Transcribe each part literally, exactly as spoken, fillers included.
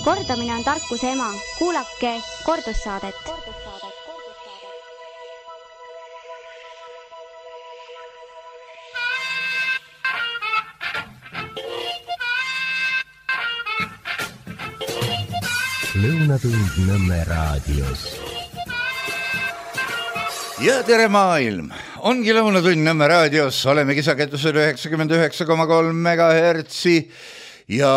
Kordamine on tarkuse ema. Kuulake kordussaadet. Lõunatund Nõmme raadios. Ja tere maailm! Ongi Lõunatund Nõmme raadios. Oleme kisaketusel üheksakümmend üheksa koma kolm megahertsi ja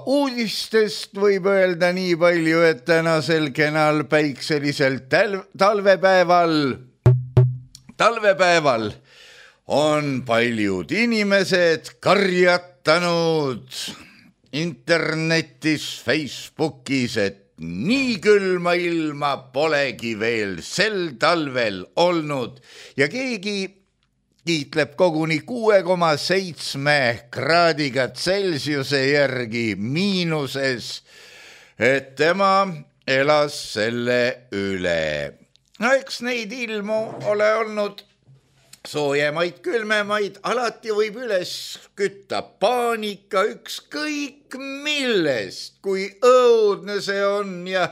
uudistest võib öelda nii palju, et tänasel kenal päikselisel tal- talvepäeval, talvepäeval on paljud inimesed karjatanud internetis, Facebookis, et nii külma ilma polegi veel sel talvel olnud ja keegi kiitleb koguni kuue koma seitsme kraadiga Celsiuse järgi miinuses, et tema elas selle üle. No eks neid ilmu ole olnud soojemaid, külmemaid, alati võib üles kütta paanika ükskõik millest, kui õudne see on ja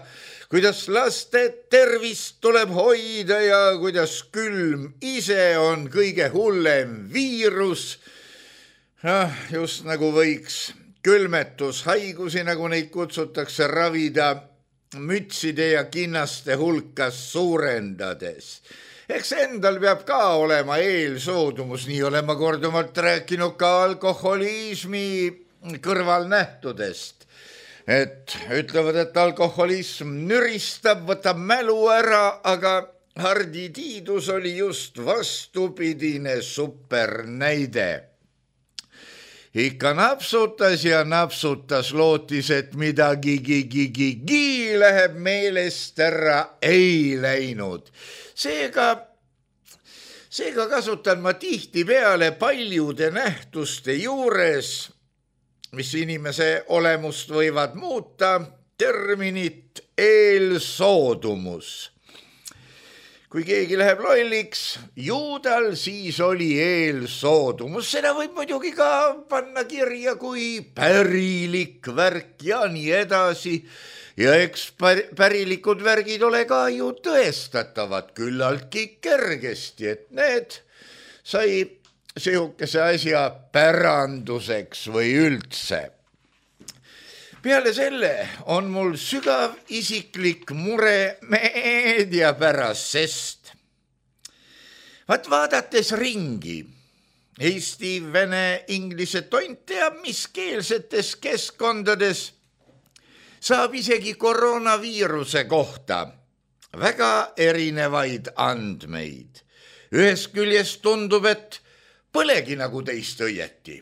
kuidas laste tervist tuleb hoida ja kuidas külm ise on kõige hullem viirus. Ah, just nagu võiks külmetushaigusi, nagu neid kutsutakse, ravida mütside ja kinnaste hulkas suurendades. Eks endal peab ka olema eelsoodumus, nii olema korduvalt rääkinud ka alkoholismi kõrvalnähtudest. Et ütlevad, et alkoholism nüristab, võtab mälu ära, aga Hardi Tiidus oli just vastupidine supernäide. Ikka napsutas ja napsutas, lootis, et midagi gi-gi-gi-gi läheb meelest ära, ei läinud. Seega, seega kasutan ma tihti peale paljude nähtuste juures, mis inimese olemust võivad muuta, terminit eelsoodumus. Kui keegi läheb lolliks, juudal siis oli eelsoodumus. Seda võib muidugi ka panna kirja kui pärilik värk ja nii edasi. Ja eks pärilikud värgid ole ka ju tõestatavad küllaltki kergesti, et need sai sihukese asja päranduseks või üldse. Peale selle on mul sügav isiklik mure meedia pärast, sest vaat vaadates ringi Eesti, vene, inglise tont teab mis keelsetes keskkondades saab isegi koroonaviiruse kohta väga erinevaid andmeid. Ühest küljest tundub, et põlegi nagu teist õieti.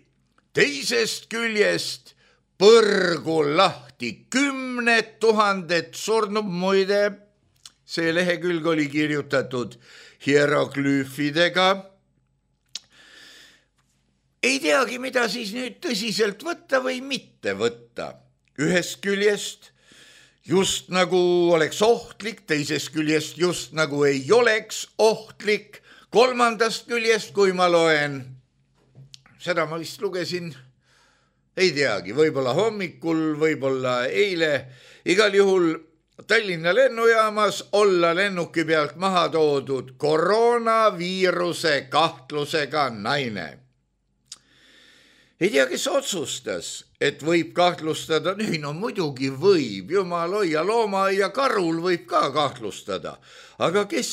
Teisest küljest põrgu lahti kümned tuhanded surnub, muide. See lehekülg oli kirjutatud hieroglüüfidega. Ei teagi, mida siis nüüd tõsiselt võtta või mitte võtta. Ühest küljest just nagu oleks ohtlik, teisest küljest just nagu ei oleks ohtlik, kolmandast küljest, kui ma loen, seda ma vist lugesin, ei teagi, võib-olla hommikul, võib-olla eile, igal juhul Tallinna lennujaamas olla lennuki pealt maha toodud koroonaviiruse kahtlusega naine. Ei tea, kes otsustas, et võib kahtlustada, nii no muidugi võib, jumal hoia, looma ja karul võib ka kahtlustada, aga kes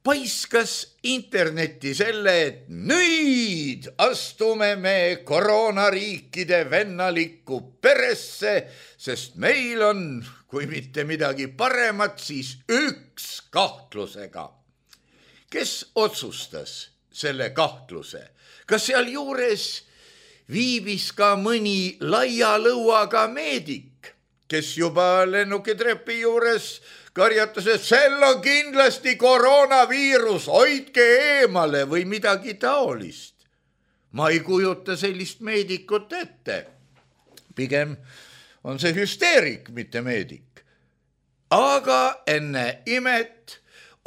paiskas internetti selle, et nüüd astume me koroonariikide vennalikku peresse, sest meil on, kui mitte midagi paremat, siis üks kahtlusega. Kes otsustas selle kahtluse? Kas seal juures viibis ka mõni laia lõuaga meedik, kes juba lennukitrepi juures karjatas, et sel on kindlasti koroonaviirus, hoidke eemale või midagi taolist. Ma ei kujuta sellist meedikut ette. Pigem on see hüsteerik, mitte meedik. Aga enne imet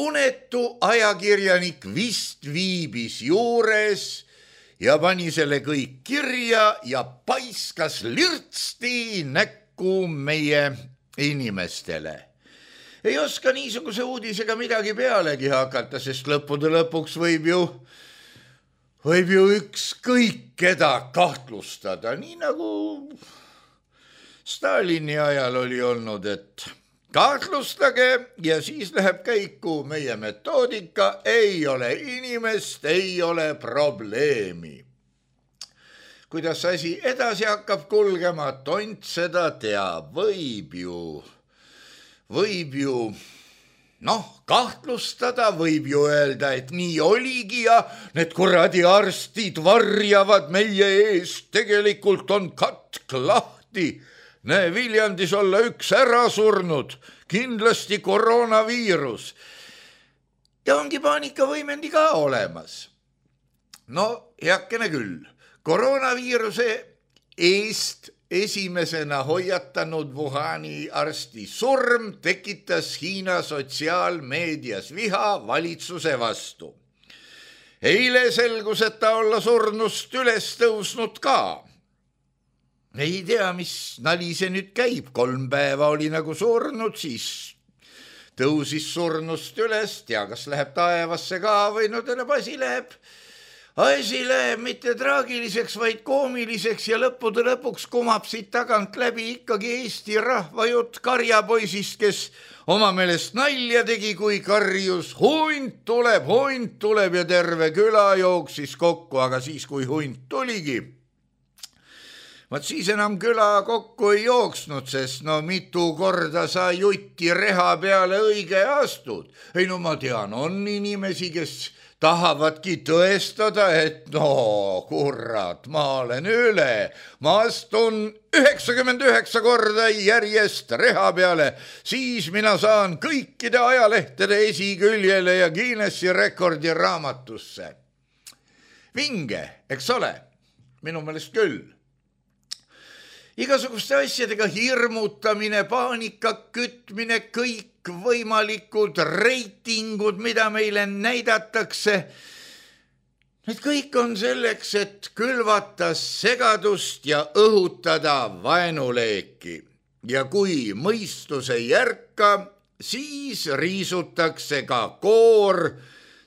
unetu ajakirjanik vist viibis juures ja pani selle kõik kirja ja paiskas lirtsti näkku meie inimestele. Ei oska niisuguse uudisega midagi pealegi hakata, sest lõppude lõpuks võib ju, võib ju ükskõik keda kahtlustada, nii nagu Stalini ajal oli olnud, et kahtlustage ja siis läheb käiku meie metoodika, ei ole inimest, ei ole probleemi. Kuidas asi edasi hakkab kulgema, tont seda teab, võib ju, võib ju, noh, kahtlustada, võib ju öelda, et nii oligi ja need kuradi arstid varjavad meie eest, tegelikult on katk lahti. Näe, Viljandis olla üks ära surnud, kindlasti koroonaviirus. Ja ongi paanikavõimendi ka olemas. No, heakene küll. Koroonaviiruse eest esimesena hoiatanud Wuhani arsti surm tekitas Hiina sotsiaalmeedias viha valitsuse vastu. Eile selgus, et ta olla surnust üles tõusnud ka. Ei tea, mis nali see nüüd käib. Kolm päeva oli nagu surnud, siis tõusis surnust üles. Tea, kas läheb taevasse ka või no täna asi läheb. Asi läheb mitte traagiliseks, vaid koomiliseks ja lõppude lõpuks kumab siit tagant läbi ikkagi Eesti rahvajutt karjapoisist, kes oma meelest nalja tegi, kui karjus hunt tuleb, hunt tuleb ja terve küla jooksis kokku, aga siis, kui hunt tuligi, vaat siis enam küla kokku ei jooksnud, sest no mitu korda sa jutti reha peale õige astud. Ei no ma tean, on inimesi, kes tahavadki tõestada, et no kurat, ma olen üle. Ma astun üheksakümmend üheksa korda järjest reha peale, siis mina saan kõikide ajalehtede esiküljele ja Guinessi rekordi raamatusse. Vinge, eks ole? Minu meelest küll. Igasuguste asjadega hirmutamine, paanika kütmine, kõik võimalikud reitingud, mida meile näidatakse. Need kõik on selleks, et külvata segadust ja õhutada vaenuleeki. Ja kui mõistus ei järka, siis riisutakse ka koor,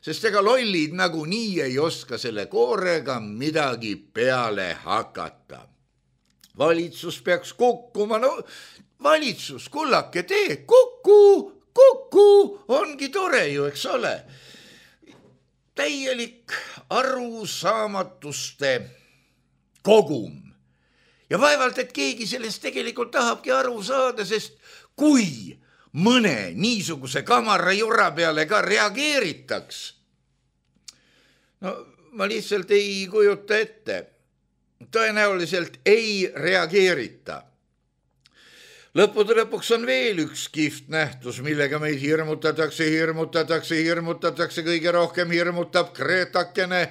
sest ega lollid nagu nii ei oska selle koorega midagi peale hakata. Valitsus peaks kukkuma, no valitsus, kullake tee, kukku, kukku, ongi tore ju, eks ole. Täielik arusaamatuste kogum. Ja vaevalt, et keegi sellest tegelikult tahabki aru saada, sest kui mõne niisuguse kamara jura peale ka reageeritaks, no ma lihtsalt ei kujuta ette. Tõenäoliselt ei reageerita. Lõppude lõpuks on veel üks kihvt nähtus, millega meid hirmutatakse, hirmutatakse, hirmutatakse, kõige rohkem hirmutab Kreetakene,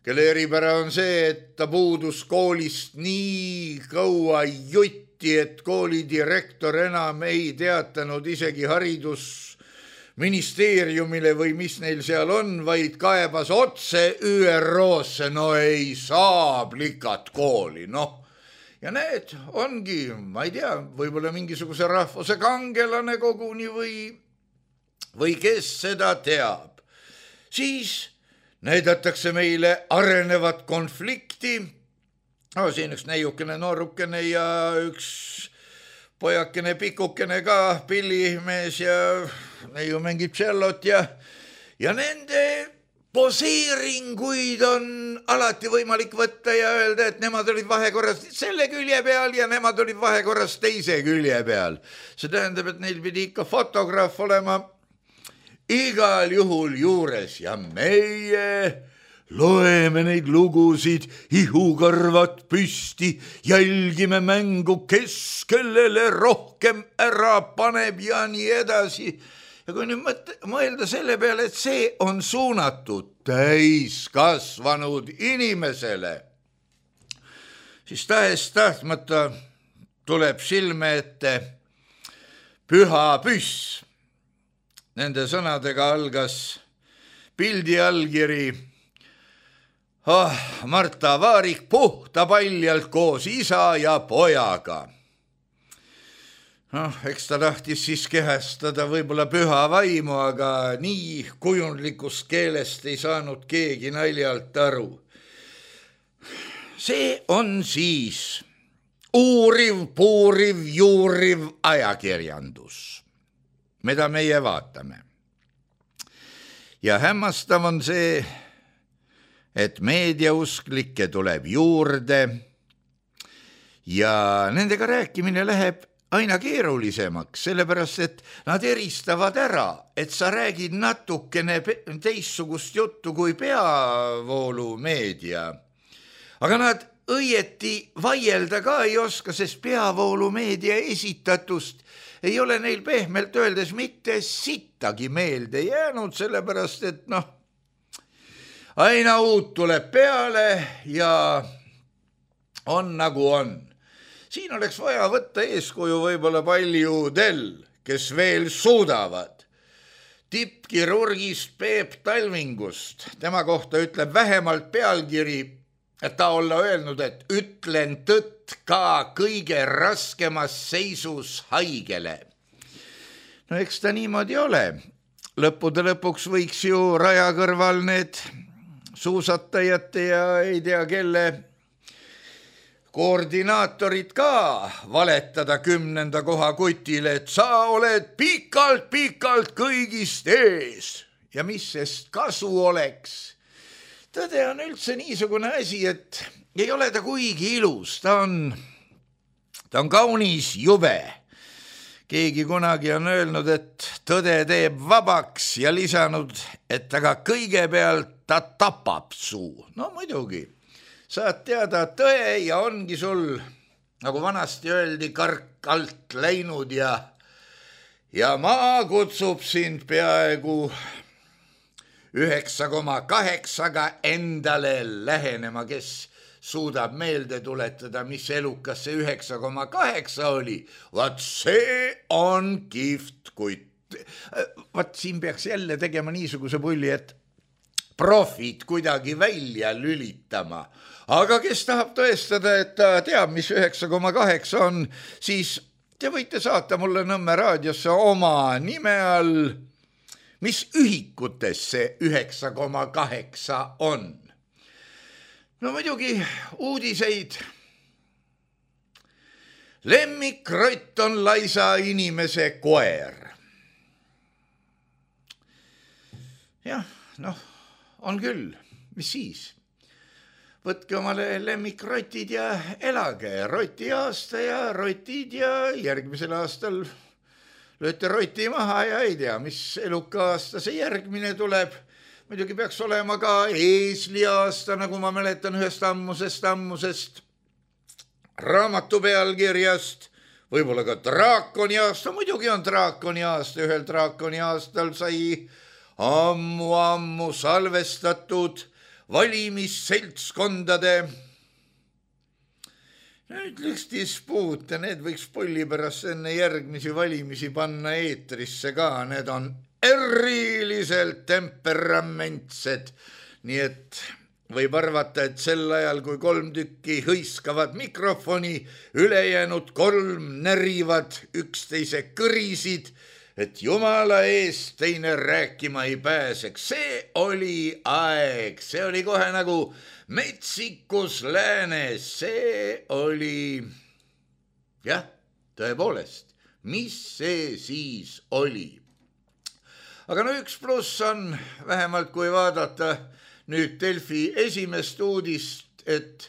kelle eripära on see, et ta puudus koolist nii kaua jutti, et koolidirektor enam ei teatanud isegi haridus ministeeriumile või mis neil seal on, vaid kaebas otse Ü R O-sse, no ei saa plikat kooli, noh. Ja need ongi, ma ei tea, võib-olla mingisuguse rahvuse kangelane koguni või, või kes seda teab. Siis näidatakse meile arenevat konflikti, no siin üks neiukene noorukene ja üks pojakene pikukene ka, pillimees ja neiu mängib tšellot ja, ja nende poseeringuid on alati võimalik võtta ja öelda, et nemad olid vahekorras selle külje peal ja nemad olid vahekorras teise külje peal. See tähendab, et neil pidi ikka fotograaf olema igal juhul juures ja meie loeme neid lugusid, ihukarvad püsti, jälgime mängu, kes kellele rohkem ära paneb ja nii edasi. Ja kui nüüd mõelda selle peale, et see on suunatud täiskasvanud inimesele, siis tahes tahtmata tuleb silme ette püha püss. Nende sõnadega algas pildi allkiri Oh, Marta Vaarik puhta paljalt koos isa ja pojaga. noh, eks ta tahtis siis kehestada võib-olla püha vaimu, aga nii kujundlikust keelest ei saanud keegi naljalt aru. See on siis uuriv, puuriv, juuriv ajakirjandus, mida meie vaatame. Ja hämmastav on see, et meediausklikke tuleb juurde ja nendega rääkimine läheb aina keerulisemaks, sellepärast et nad eristavad ära, et sa räägid natukene teistsugust juttu kui peavoolumeedia. Aga nad õieti vaielda ka ei oska, sest peavoolumeedia esitatust ei ole neil pehmelt öeldes mitte sittagi meelde jäänud, sellepärast et noh, aina uut tuleb peale ja on nagu on. Siin oleks vaja võtta eeskuju võib-olla paljudel, kes veel suudavad. Tippkirurgist Peep Talvingust, tema kohta ütleb vähemalt pealkiri, et ta olla öelnud, et ütlen tõtt ka kõige raskemas seisus haigele. No eks ta niimoodi ole. Lõppude lõpuks võiks ju raja kõrval need suusatajate ja ei tea kelle koordinaatorid ka valetada kümnenda koha kutile, et sa oled pikalt-pikalt kõigist ees. Ja mis sest kasu oleks? Tõde on üldse niisugune asi, et ei ole ta kuigi ilus, ta on, ta on kaunis jube. Keegi kunagi on öelnud, et tõde teeb vabaks ja lisanud, et aga kõigepealt ta tapab suu. No muidugi, saad teada tõe ja ongi sul, nagu vanasti öeldi, kark alt läinud ja, ja maa kutsub sind peaaegu üheksa koma kaheksaga endale lähenema, kes suudab meelde tuletada, mis elukas see üheksa koma kaheksa oli. Vaat see on kihvt kutt. Vaat siin peaks jälle tegema niisuguse pulli, et profid kuidagi välja lülitama. Aga kes tahab tõestada, et ta teab, mis üheksa koma kaheksa on, siis te võite saata mulle Nõmme raadiosse oma nime all, mis ühikutes see üheksa koma kaheksa on. No muidugi uudiseid. Lemmikrott on laisa inimese koer. Jah, noh, on küll. Mis siis? Võtke omale lemmikrotid ja elage. Roti aasta ja rotid ja järgmisel aastal lööte roti maha ja ei tea, mis eluka aasta see järgmine tuleb. Muidugi peaks olema ka eesli aasta, nagu ma mäletan ühest ammusest ammusest raamatu pealkirjast. Võib-olla ka draakoni aasta, muidugi on draakoni aasta. Ühel draakoni aastal sai ammu-ammu salvestatud valimisseltskondade ütleks dispuute, need võiks pulli pärast enne järgmisi valimisi panna eetrisse ka, need on eriliselt temperamentsed, nii et võib arvata, et sel ajal, kui kolm tükki hõiskavad mikrofoni, ülejäänud kolm närivad üksteise kõrisid, et jumala eest teine rääkima ei pääseks. See oli aeg, see oli kohe nagu metsikus läänes, see oli, jah, tõepoolest, mis see siis oli. Aga no üks pluss on, vähemalt kui vaadata nüüd Delfi esimest uudist, et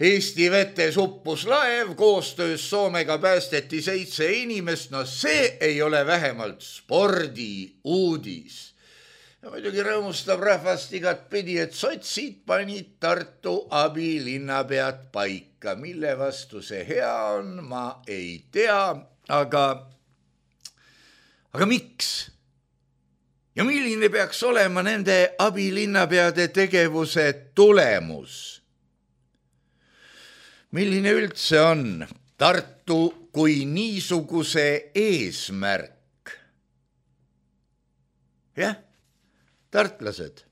Eesti vetes uppus laev, koostöös Soomega päästeti seitse inimest, no see ei ole vähemalt spordi uudis. Ja muidugi rõõmustab rahvast igat pidi, et sotsid panid Tartu abilinnapead paika. Mille vastu see hea on, ma ei tea, aga, aga miks? Ja milline peaks olema nende abilinnapeade tegevuse tulemus? Milline üldse on Tartu kui niisuguse eesmärk? Jah, tartlased,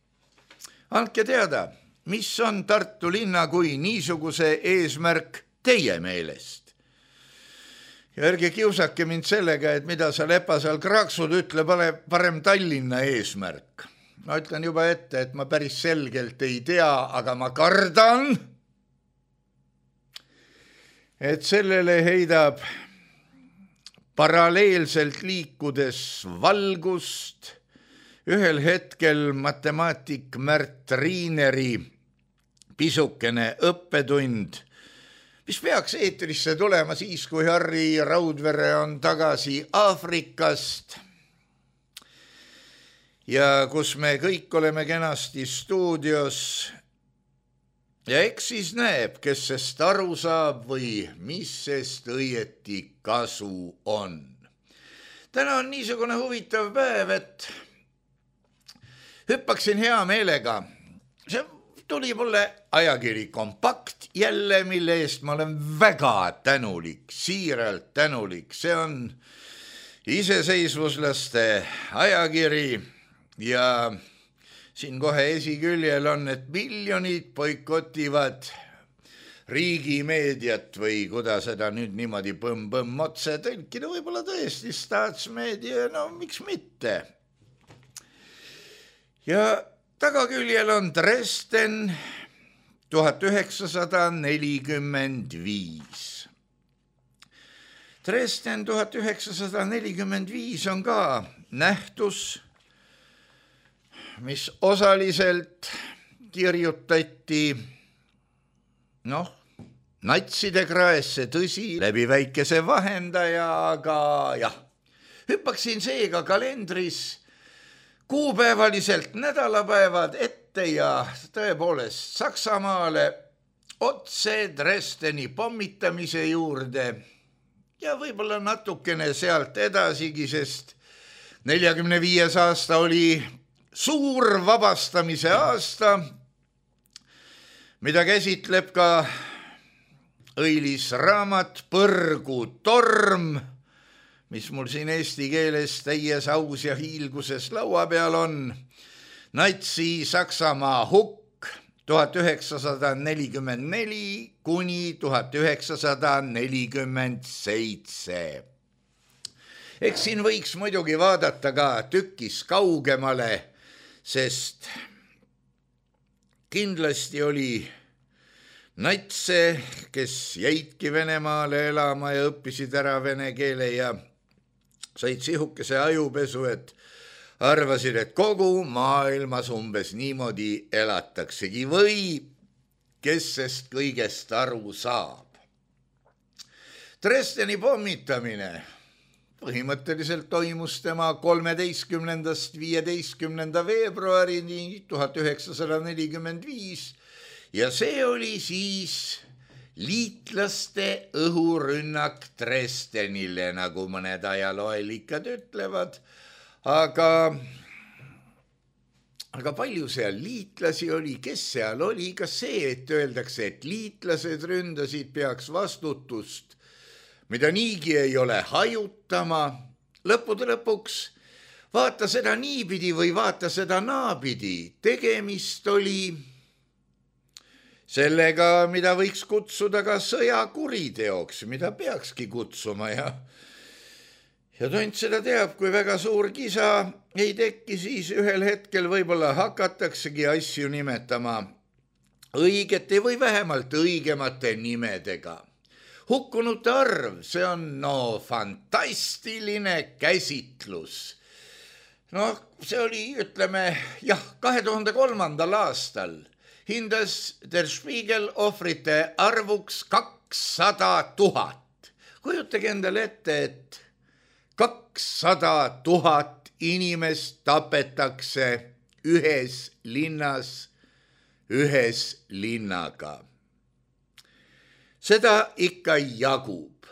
andke teada, mis on Tartu linna kui niisuguse eesmärk teie meelest. ja ärge kiusake mind sellega, et mida sa lepa seal kraaksud, ütle parem Tallinna eesmärk. Ma ütlen juba ette, et ma päris selgelt ei tea, aga ma kardan, et sellele heidab paralleelselt liikudes valgust ühel hetkel matemaatik Märt Riineri pisukene õppetund, mis peaks eetrisse tulema siis, kui Harri Raudvere on tagasi Aafrikast ja kus me kõik oleme kenasti stuudios ja eks siis näeb, kes sest aru saab või mis sest õieti kasu on. Täna on niisugune huvitav päev, et hüppaksin hea meelega. See tuli mulle ajakiri Kompakt jälle, mille eest ma olen väga tänulik, siiralt tänulik. See on iseseisvuslaste ajakiri ja siin kohe esiküljel on, et miljonid boikotivad riigimeediat või kuidas seda nüüd niimoodi põmm-põmm otse tõlkida, võib-olla tõesti staatsmeedia, no miks mitte. Ja tagaküljel on Dresden tuhat üheksasada nelikümmend viis. Dresden tuhat üheksasada nelikümmend viis on ka nähtus, mis osaliselt kirjutati noh, natside kraesse, tõsi, läbi väikese vahendaja, aga jah, hüppaksin seega kalendris kuupäevaliselt nädalapäevad ette ja tõepoolest Saksamaale otse Dresdeni pommitamise juurde ja võib-olla natukene sealt edasigi, sest neljakümne viies aasta oli suur vabastamise aasta, mida käsitleb ka õilis raamat Põrgu torm, mis mul siin eesti keeles täies aus ja hiilguses laua peal on. Natsi Saksamaa hukk tuhat üheksasada nelikümmend neli kuni tuhat üheksasada nelikümmend seitse. Eks siin võiks muidugi vaadata ka tükis kaugemale, sest kindlasti oli natse, kes jäidki Venemaale elama ja õppisid ära vene keele ja said sihukese ajupesu, et arvasid, et kogu maailmas umbes niimoodi elataksegi või kes sest kõigest aru saab. Dresdeni pommitamine põhimõtteliselt toimus tema kolmeteistkümnendast viieteistkümnenda veebruarini tuhat üheksasada nelikümmend viis ja see oli siis liitlaste õhurünnak Dresdenile, nagu mõned ajalooelikad ütlevad, aga, aga palju seal liitlasi oli, kes seal oli, kas see, et öeldakse, et liitlased ründasid, peaks vastutust, mida niigi ei ole hajutama, lõppude lõpuks vaata seda niipidi või vaata seda naapidi, tegemist oli sellega, mida võiks kutsuda ka sõjakuriteoks, mida peakski kutsuma ja ja tont seda teab, kui väga suur kisa ei tekki, siis ühel hetkel võib-olla hakataksegi asju nimetama õigete või vähemalt õigemate nimedega. Hukkunute arv, see on no fantastiline käsitlus. No see oli, ütleme, jah, kahe tuhande kolmandal aastal hindas Der Spiegel ohvrite arvuks kakssada tuhat. Kujutage endale ette, et kakssada tuhat inimest tapetakse ühes linnas, ühes linnaga. Seda ikka jagub.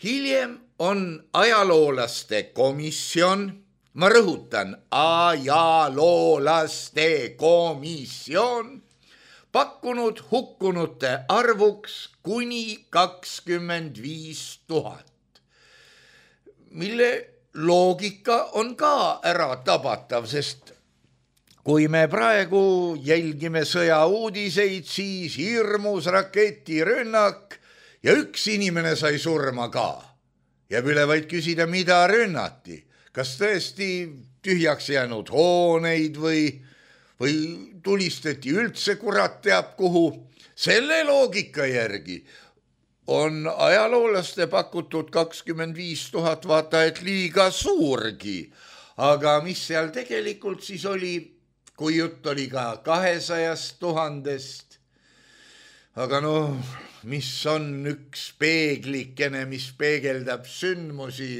Hiljem on ajaloolaste komisjon, ma rõhutan, ajaloolaste komisjon, pakkunud hukkunute arvuks kuni kakskümmend viis tuhat, mille loogika on ka ära tabatav, sest kui me praegu jälgime sõjauudiseid, siis hirmus raketirünnak ja üks inimene sai surma ka. Jääb üle vaid küsida, mida rünnati. Kas tõesti tühjaks jäänud hooneid või, või tulistati üldse kurat teab kuhu. Selle loogika järgi on ajaloolaste pakutud kakskümmend viis tuhat vaata, et liiga suurgi. Aga mis seal tegelikult siis oli, kui jutt oli ka kahesajast tuhandest. Aga noh, mis on üks peeglikene, mis peegeldab sündmusi.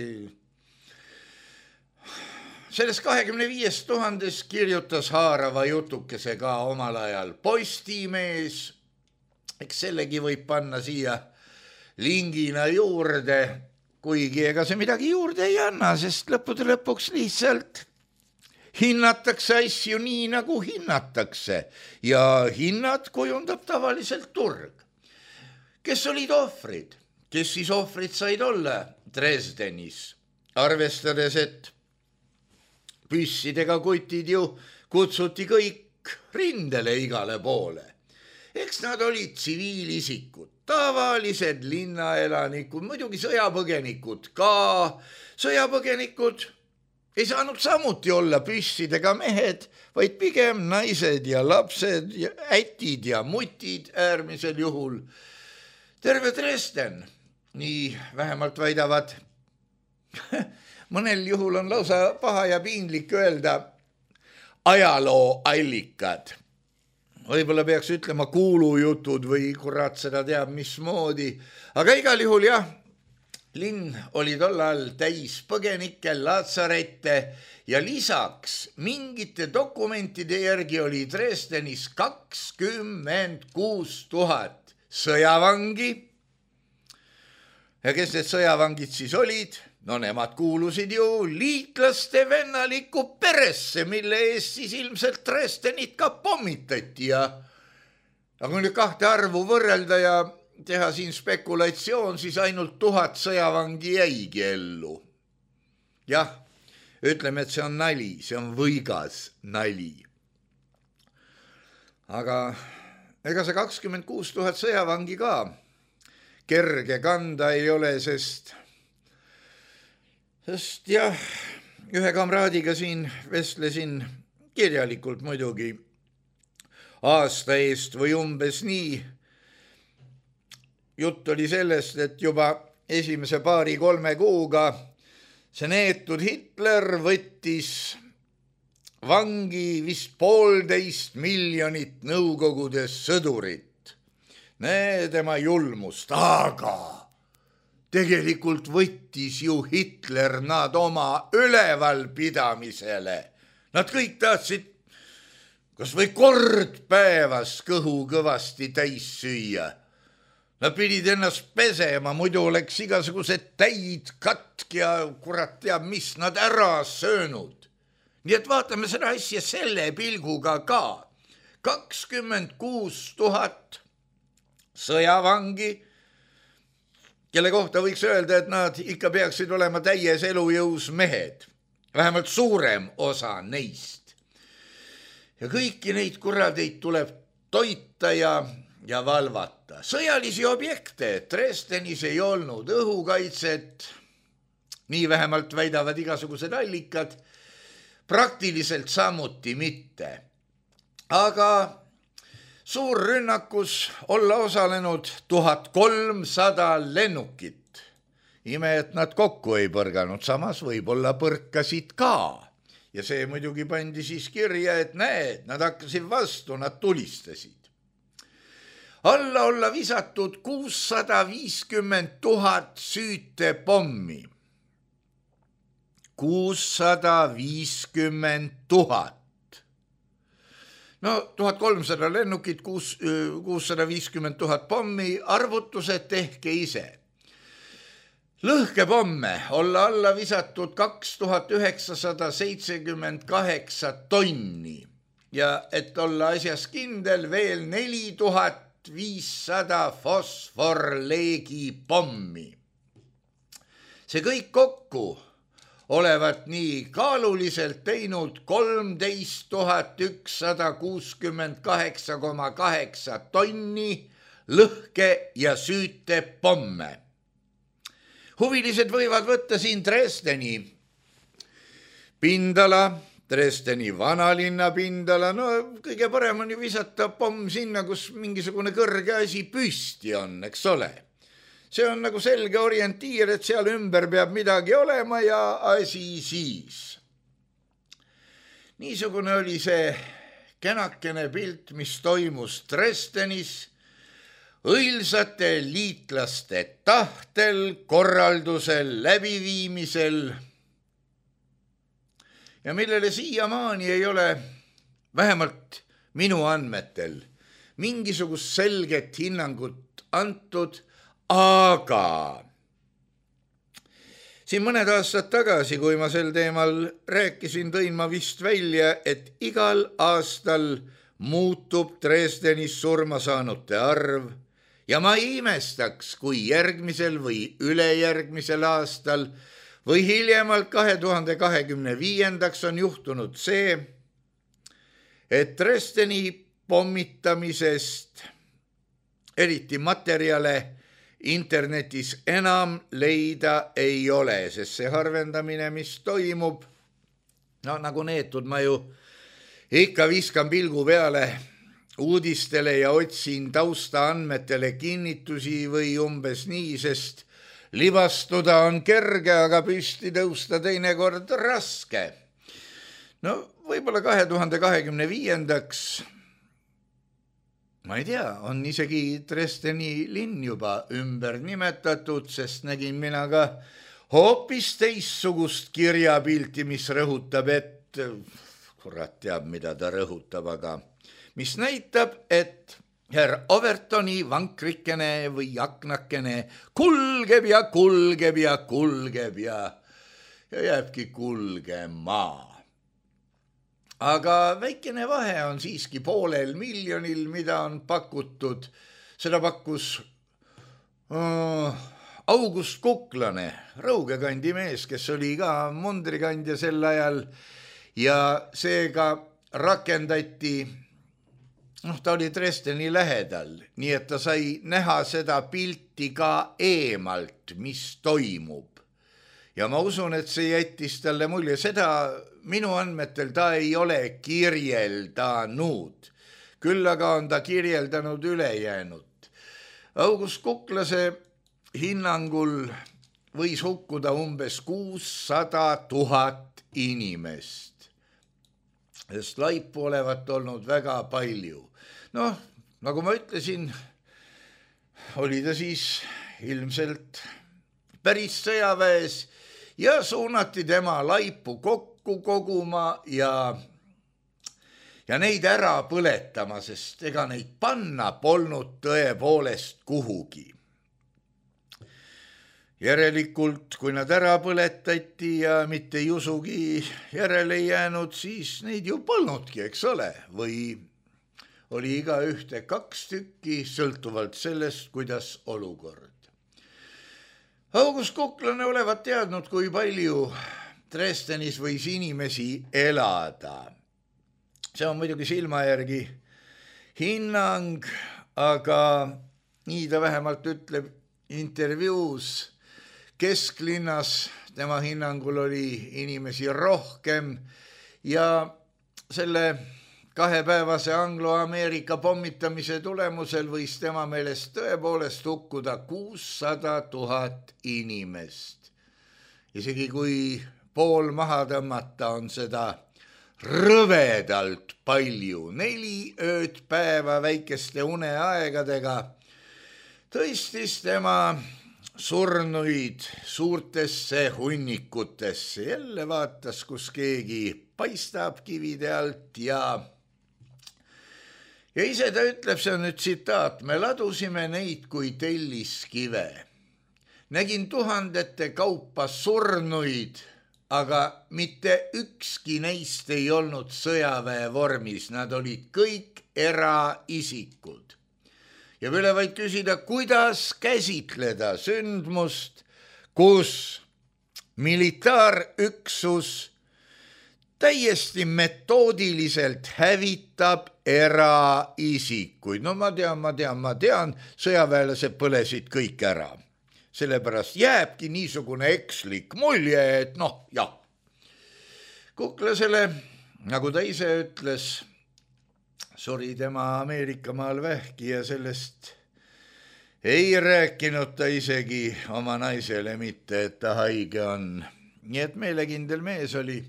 Sellest kahekümne viiest tuhandest kirjutas haarava jutukese ka omal ajal Postimees. Eks sellegi võib panna siia lingina juurde, kuigi ega see midagi juurde ei anna, sest lõppude lõpuks lihtsalt hinnatakse asju nii, nagu hinnatakse ja hinnad kujundab tavaliselt turg. Kes olid ohvrid? Kes siis ohvrid said olla Dresdenis? Arvestades, et püssidega kutid ju kutsuti kõik rindele igale poole. Eks nad olid tsiviilisikud, tavalised linnaelanikud, muidugi sõjapõgenikud ka. Sõjapõgenikud ei saanud samuti olla püssidega mehed, vaid pigem naised ja lapsed, ja ätid ja mutid äärmisel juhul. Terve Dresden, nii vähemalt väidavad. Mõnel juhul on lausa paha ja piinlik öelda ajaloo allikad. Võib-olla peaks ütlema kuulujutud või kurat seda teab mismoodi. Aga igal juhul jah, linn oli tollal täis põgenikke, laatsarette ja lisaks mingite dokumentide järgi oli Dresdenis kakskümmend kuus tuhat sõjavangi. Ja kes need sõjavangid siis olid? No nemad kuulusid ju liitlaste vennalikku peresse, mille eest siis ilmselt Dresdenit ka pommitati ja aga kui nüüd kahte arvu võrrelda ja teha siin spekulatsioon, siis ainult tuhat sõjavangi jäigi ellu. Jah, ütleme, et see on nali, see on võigas nali. Aga ega see kakskümmend kuus tuhat sõjavangi ka kerge kanda ei ole, sest Sest jah, ühe kamraadiga siin vestlesin kirjalikult muidugi aasta eest või umbes nii. Jutt oli sellest, et juba esimese paari kolme kuuga see neetud Hitler võttis vangi vist poolteist miljonit Nõukogude sõdurit. Nee tema julmust, aga tegelikult võttis ju Hitler nad oma ülevalpidamisele. Nad kõik tahtsid kas või kord päevas kõhu kõvasti täis süüa. Nad pidid ennast pesema, muidu oleks igasugused täid, katk ja kurat teab, mis nad ära söönud. Nii et vaatame seda asja selle pilguga ka. kakskümmend kuus tuhat sõjavangi, kelle kohta võiks öelda, et nad ikka peaksid olema täies elujõus mehed. Vähemalt suurem osa neist. Ja kõiki neid kuradeid tuleb toita ja, ja valvata. Sõjalisi objekte Dresdenis ei olnud, õhukaitset, nii vähemalt väidavad igasugused allikad, praktiliselt samuti mitte. Aga suurrünnakus olla osalenud tuhat kolmsada lennukit. Ime, et nad kokku ei põrganud, samas võib-olla põrkasid ka. Ja see muidugi pandi siis kirja, et näed, nad hakkasid vastu, nad tulistasid. Alla olla visatud kuussada viiskümmend tuhat süütepommi. kuussada viiskümmend tuhat. No tuhat kolmsada lennukit, kuussada viiskümmend tuhat pommi, arvutused tehke ise. Lõhkepomme olla alla visatud kaks tuhat üheksasada seitsekümmend kaheksa tonni ja et olla asjas kindel veel neli tuhat viissada fosforleegi pommi. See kõik kokku olevat nii kaaluliselt teinud kolmteist tuhat ükssada kuuskümmend kaheksa koma kaheksa tonni lõhke ja süüte pomme. Huvilised võivad võtta siin Dresdeni pindala, Dresdeni vanalinna pindala, no kõige parem on ju visata pomm sinna, kus mingisugune kõrge asi püsti on, eks ole. See on nagu selge orientiir, et seal ümber peab midagi olema ja asi siis. Niisugune oli see kenakene pilt, mis toimus Dresdenis, õilsate liitlaste tahtel, korraldusel, läbiviimisel ja millele siiamaani ei ole, vähemalt minu andmetel, mingisugust selget hinnangut antud, aga siin mõned aastad tagasi, kui ma sel teemal rääkisin, tõin ma vist välja, et igal aastal muutub Dresdenis surma saanute arv ja ma ei imestaks, kui järgmisel või ülejärgmisel aastal või hiljemalt kahe tuhande kahekümne viiendaks on juhtunud see, et Dresdeni pommitamisest eriti materjale internetis enam leida ei ole, sest see harvendamine, mis toimub, no nagu neetud ma ju ikka viskan pilgu peale uudistele ja otsin taustaandmetele kinnitusi või umbes nii, sest libastuda on kerge, aga püsti tõusta teinekord raske. No võib-olla kahe tuhande kahekümne viiendaks ma ei tea, on isegi Dresdeni linn juba ümber nimetatud, sest nägin mina ka hoopis teissugust kirjapilti, mis rõhutab, et kurat teab, mida ta rõhutab, aga mis näitab, et herr Overtoni vankrikene või aknakene kulgeb ja kulgeb ja kulgeb ja, ja jääbki kulgema. Aga väikene vahe on siiski poolel miljonil, mida on pakutud. Seda pakkus uh, August Kuklane, Rõugekandi mees, kes oli ka mundrikandja sel ajal ja seega rakendati, noh, ta oli Dresdeni lähedal, nii et ta sai näha seda pilti ka eemalt, mis toimub. Ja ma usun, et see jättis talle mulje, seda minu andmetel ta ei ole kirjeldanud, küll aga on ta kirjeldanud ülejäänud. August Kuklase hinnangul võis hukkuda umbes kuussada tuhat inimest, sest laipu olevat olnud väga palju. Noh, nagu ma ütlesin, oli ta siis ilmselt päris sõjaväes ja suunati tema laipu kokku koguma ja, ja neid ära põletama, sest ega neid panna polnud tõepoolest kuhugi. Järelikult, kui nad ära põletati ja mitte jusugi järele jäänud, siis neid ju polnudki, eks ole, või oli iga ühte kaks tükki, sõltuvalt sellest, kuidas olukord. August Kuklane olevat teadnud, kui palju Dresdenis võis inimesi elada. See on muidugi silma järgi hinnang, aga nii ta vähemalt ütleb intervjuus. Kesklinnas tema hinnangul oli inimesi rohkem ja selle kahepäevase Anglo-Ameerika pommitamise tulemusel võis tema meelest tõepoolest hukkuda kuussada tuhat inimest. Isegi kui pool maha tõmmata, on seda rõvedalt palju. Neli ööd päeva väikeste uneaegadega tõstis tema surnuid suurtesse hunnikutesse. Jälle vaatas, kus keegi paistab kivide alt ja Ja ise ta ütleb, see on nüüd tsitaat, me ladusime neid kui telliskive. Nägin tuhandete kaupa surnuid, aga mitte ükski neist ei olnud sõjaväe vormis, nad olid kõik eraisikud. Ja võile vaid küsida, kuidas käsitleda sündmust, kus militaarüksus täiesti metoodiliselt hävitab eraisikuid. No ma tean, ma tean, ma tean, sõjaväelased põlesid kõik ära. Sellepärast jääbki niisugune ekslik mulje, et noh, jah. Kuklasele, nagu ta ise ütles, suri tema Ameerikamaal vähki ja sellest ei rääkinud ta isegi oma naisele mitte, et ta haige on. Nii et meelekindel mees oli.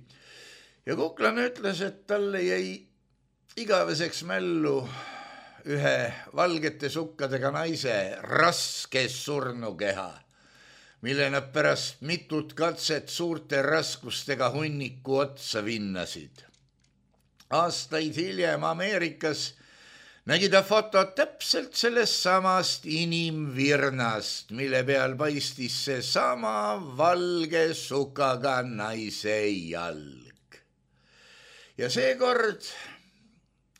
Ja Kuklane ütles, et talle jäi igaveseks mällu ühe valgete sukkadega naise raske surnukeha, mille nad pärast mitut katset suurte raskustega hunniku otsa vinnasid. Aastaid hiljem Ameerikas nägi ta fotot täpselt sellest samast inimvirnast, mille peal paistis see sama valge sukaga naise jalg. Ja seekord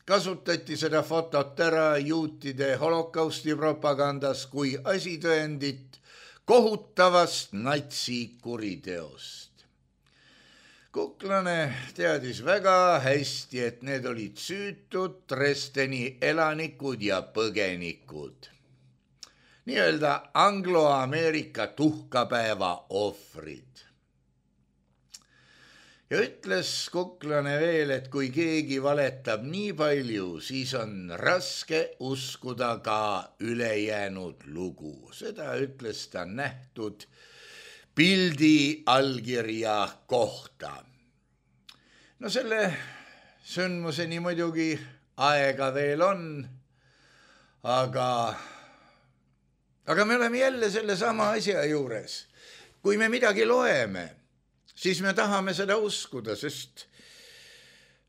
kasutati seda fotot ära juutide holokausti propagandas kui asitõendit kohutavast natsikuriteost. Kuklane teadis väga hästi, et need olid süütud Dresdeni elanikud ja põgenikud. Nii-öelda Anglo-Ameerika tuhkapäeva ohvrid. Ja ütles Kuklane veel, et kui keegi valetab nii palju, siis on raske uskuda ka ülejäänud lugu. Seda ütles ta nähtud pildi allkirja kohta. No selle sündmuseni muidugi aega veel on, aga, aga me oleme jälle selle sama asja juures. Kui me midagi loeme, siis me tahame seda uskuda, sest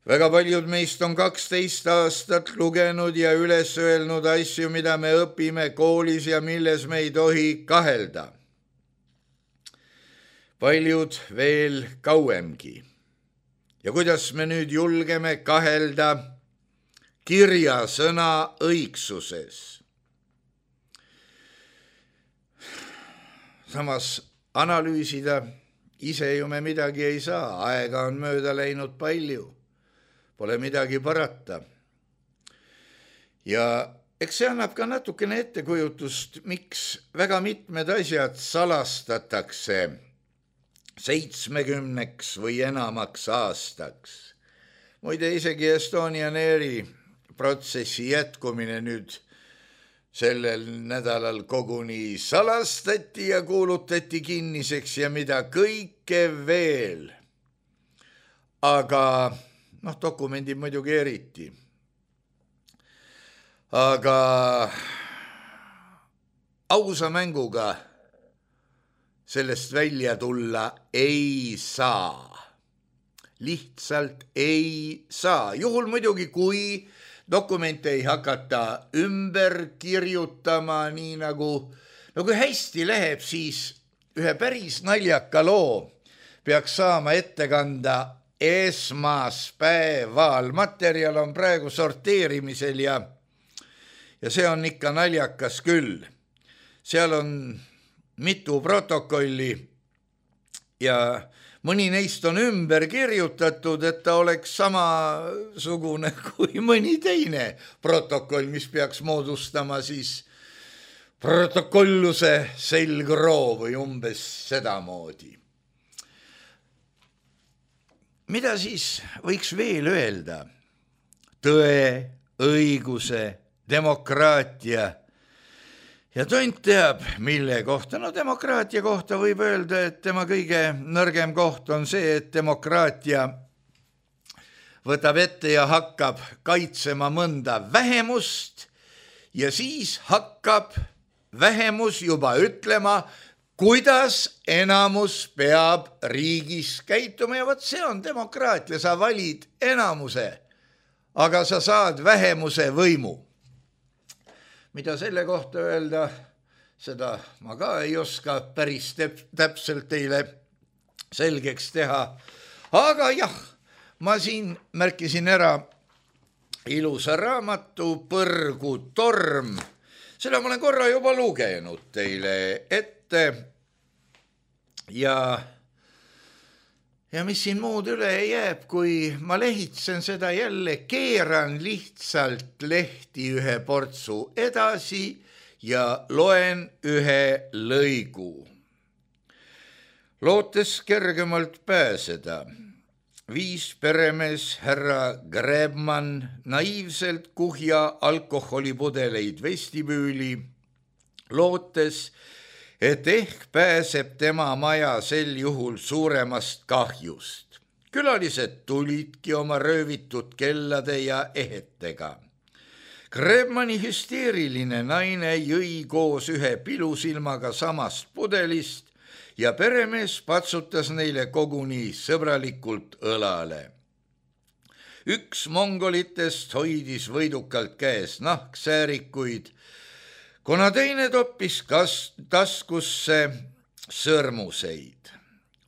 väga paljud meist on kaksteist aastat lugenud ja üles öelnud asju, mida me õpime koolis ja milles me ei tohi kahelda. Paljud veel kauemgi. Ja kuidas me nüüd julgeme kahelda kirjasõna õigsuses? Samas analüüsida ise ju me midagi ei saa, aega on mööda läinud palju, pole midagi parata. Ja eks see annab ka natukene ettekujutust, miks väga mitmed asjad salastatakse seitsmekümneks või enamaks aastaks. Muide, isegi Estonian Airi protsessi jätkumine nüüd sellel nädalal koguni salastati ja kuulutati kinniseks ja mida kõike veel. Aga, noh, dokumendid muidugi eriti. Aga ausa mänguga sellest välja tulla ei saa. Lihtsalt ei saa. Juhul muidugi, kui dokumente ei hakata ümber kirjutama, nii nagu, no kui hästi läheb, siis ühe päris naljaka loo peaks saama ette kanda esmaspäeval. Materjal on praegu sorteerimisel ja, ja see on ikka naljakas küll. Seal on mitu protokolli ja mõni neist on ümber kirjutatud, et ta oleks samasugune kui mõni teine protokoll, mis peaks moodustama siis protokolluse selgroo või umbes sedamoodi. Mida siis võiks veel öelda? Tõe, õiguse, demokraatia ja tont teab, mille kohta. No demokraatia kohta võib öelda, et tema kõige nõrgem koht on see, et demokraatia võtab ette ja hakkab kaitsema mõnda vähemust ja siis hakkab vähemus juba ütlema, kuidas enamus peab riigis käituma ja vot see on demokraatia, sa valid enamuse, aga sa saad vähemuse võimu. Mida selle kohta öelda, seda ma ka ei oska päris täpselt teile selgeks teha. Aga jah, ma siin märkisin ära ilusa raamatu Põrgutorm. Seda ma olen korra juba lugenud teile ette ja, ja mis siin muud üle jääb, kui ma lehitsen seda jälle, keeran lihtsalt lehti ühe portsu edasi ja loen ühe lõigu. Lootes kergemalt pääseda, viis peremees härra Grebman naiivselt kuhja alkoholipudeleid vestibüüli, lootes, et ehk pääseb tema maja sel juhul suuremast kahjust. Külalised tulidki oma röövitud kellade ja ehetega. Grebmani hüsteeriline naine jõi koos ühe pilusilmaga samast pudelist ja peremees patsutas neile koguni sõbralikult õlale. Üks mongolitest hoidis võidukalt käes nahksäärikuid, kuna teine toppis kas taskusse sõrmuseid.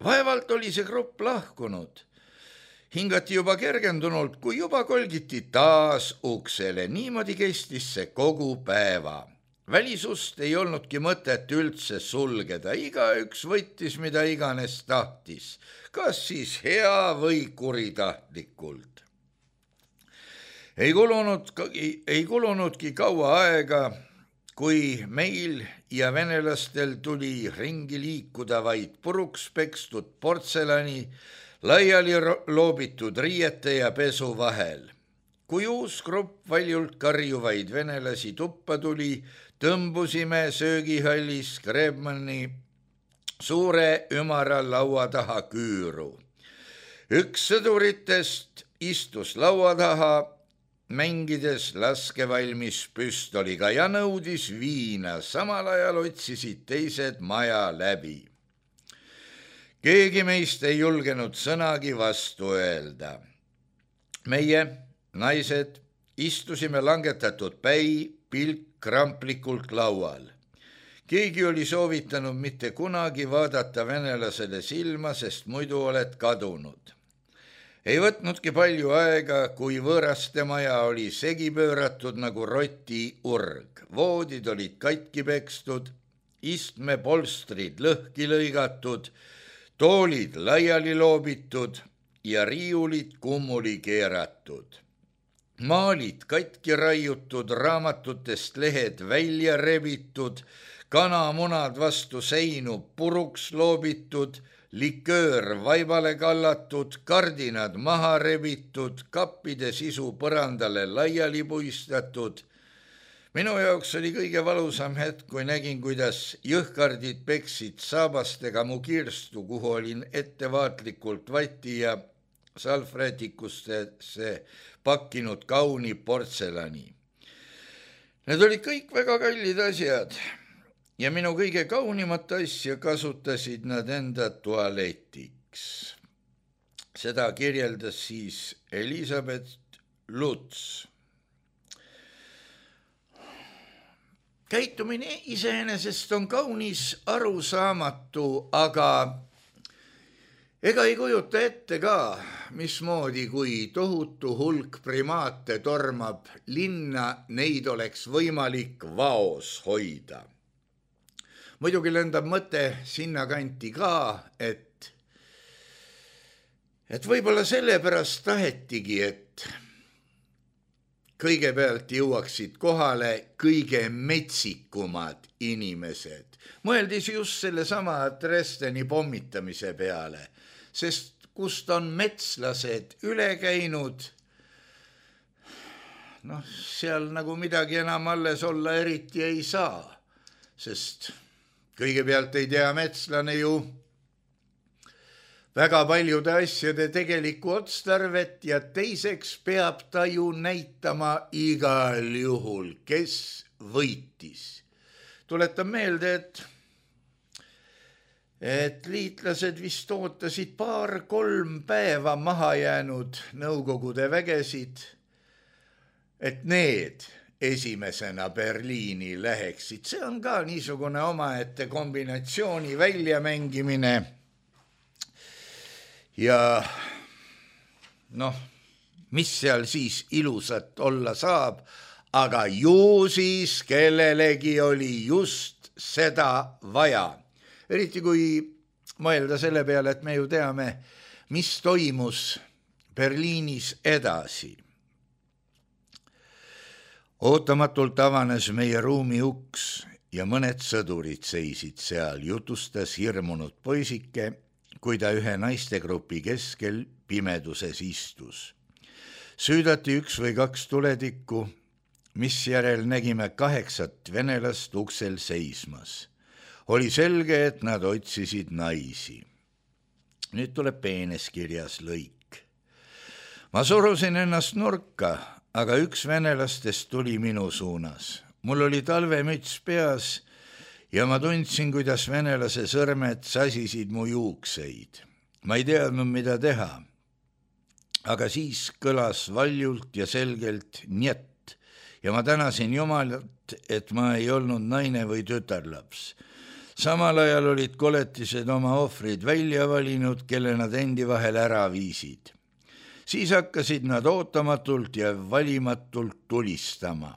Vaevalt oli see grupp lahkunud. Hingati juba kergendunult, kui juba kolgiti taas uksele. Niimoodi kestis see kogu päeva. Välisust ei olnudki mõtet üldse sulgeda. Igaüks võttis, mida iganes tahtis. Kas siis hea või kuritahtlikult. Ei kulunud, ei kulunudki kaua aega, kui meil ja venelastel tuli ringi liikuda vaid puruks pekstud portselani, laiali loobitud riiete ja pesu vahel. Kui uus grupp valjult karjuvaid venelasi tuppa tuli, tõmbusime söögihallis Grebmani suure ümara laua taha küüru. Üks sõduritest istus laua taha, mängides laskevalmis püstoliga ja nõudis viina, samal ajal otsisid teised maja läbi. Keegi meist ei julgenud sõnagi vastu öelda. Meie, naised, istusime langetatud päi pilk kramplikult laual. Keegi oli soovitanud mitte kunagi vaadata venelasele silma, sest muidu oled kadunud. Ei võtnudki palju aega, kui võõraste maja oli segi pööratud nagu roti urg. Voodid olid katki pekstud, istmepolstrid lõhki lõigatud, toolid laiali loobitud ja riiulid kummuli keeratud. Maalid katki raiutud, raamatutest lehed välja rebitud, kanamunad vastu seinu puruks loobitud, liköör vaibale kallatud, kardinad maha rebitud, kappide sisu põrandale laiali puistatud. Minu jaoks oli kõige valusam hetk, kui nägin, kuidas jõhkardid peksid saabastega mu kirstu, kuhu olin ettevaatlikult vati ja salvrätikustesse pakkinud kauni portselani. Need olid kõik väga kallid asjad. Ja minu kõige kaunimat asja kasutasid nad enda tualetiks. Seda kirjeldas siis Elisabeth Lutz. Käitumine iseenesest on kaunis arusaamatu, aga ega ei kujuta ette ka, mismoodi, kui tohutu hulk primaate tormab linna, neid oleks võimalik vaos hoida. Muidugi lendab mõte sinna kanti ka, et, et võib-olla sellepärast tahetigi, et kõigepealt jõuaksid kohale kõige metsikumad inimesed. Mõeldis just sellesama Dresdeni pommitamise peale, sest kust on metslased üle käinud, noh, seal nagu midagi enam alles olla eriti ei saa, sest kõigepealt ei tea metslane ju väga paljude asjade tegelikku otstarvet ja teiseks peab ta ju näitama igal juhul, kes võitis. Tuletan meelde, et, et liitlased vist ootasid paar-kolm päeva maha jäänud Nõukogude vägesid, et need esimesena Berliini läheksid. See on ka niisugune omaette kombinatsiooni väljamängimine. Ja noh, mis seal siis ilusat olla saab, aga ju siis kellelegi oli just seda vaja. Eriti kui mõelda selle peale, et me ju teame mis toimus Berliinis edasi. Ootamatult avanes meie ruumi uks ja mõned sõdurid seisid seal, jutustas hirmunud poisike, kui ta ühe naistegrupi keskel pimeduses istus. Süüdati üks või kaks tuletikku, mis järel nägime kaheksat venelast uksel seismas. Oli selge, et nad otsisid naisi. Nüüd tuleb peenes kirjas lõik. Ma surusin ennast nurka, aga üks venelastest tuli minu suunas. Mul oli talvemüts peas ja ma tundsin, kuidas venelase sõrmed sasisid mu juukseid. Ma ei teadnud, mida teha, aga siis kõlas valjult ja selgelt njet ja ma tänasin Jumalat, et ma ei olnud naine või tütarlaps. Samal ajal olid koletised oma ohvrid välja valinud, kelle nad endi vahel ära viisid. Siis hakkasid nad ootamatult ja valimatult tulistama.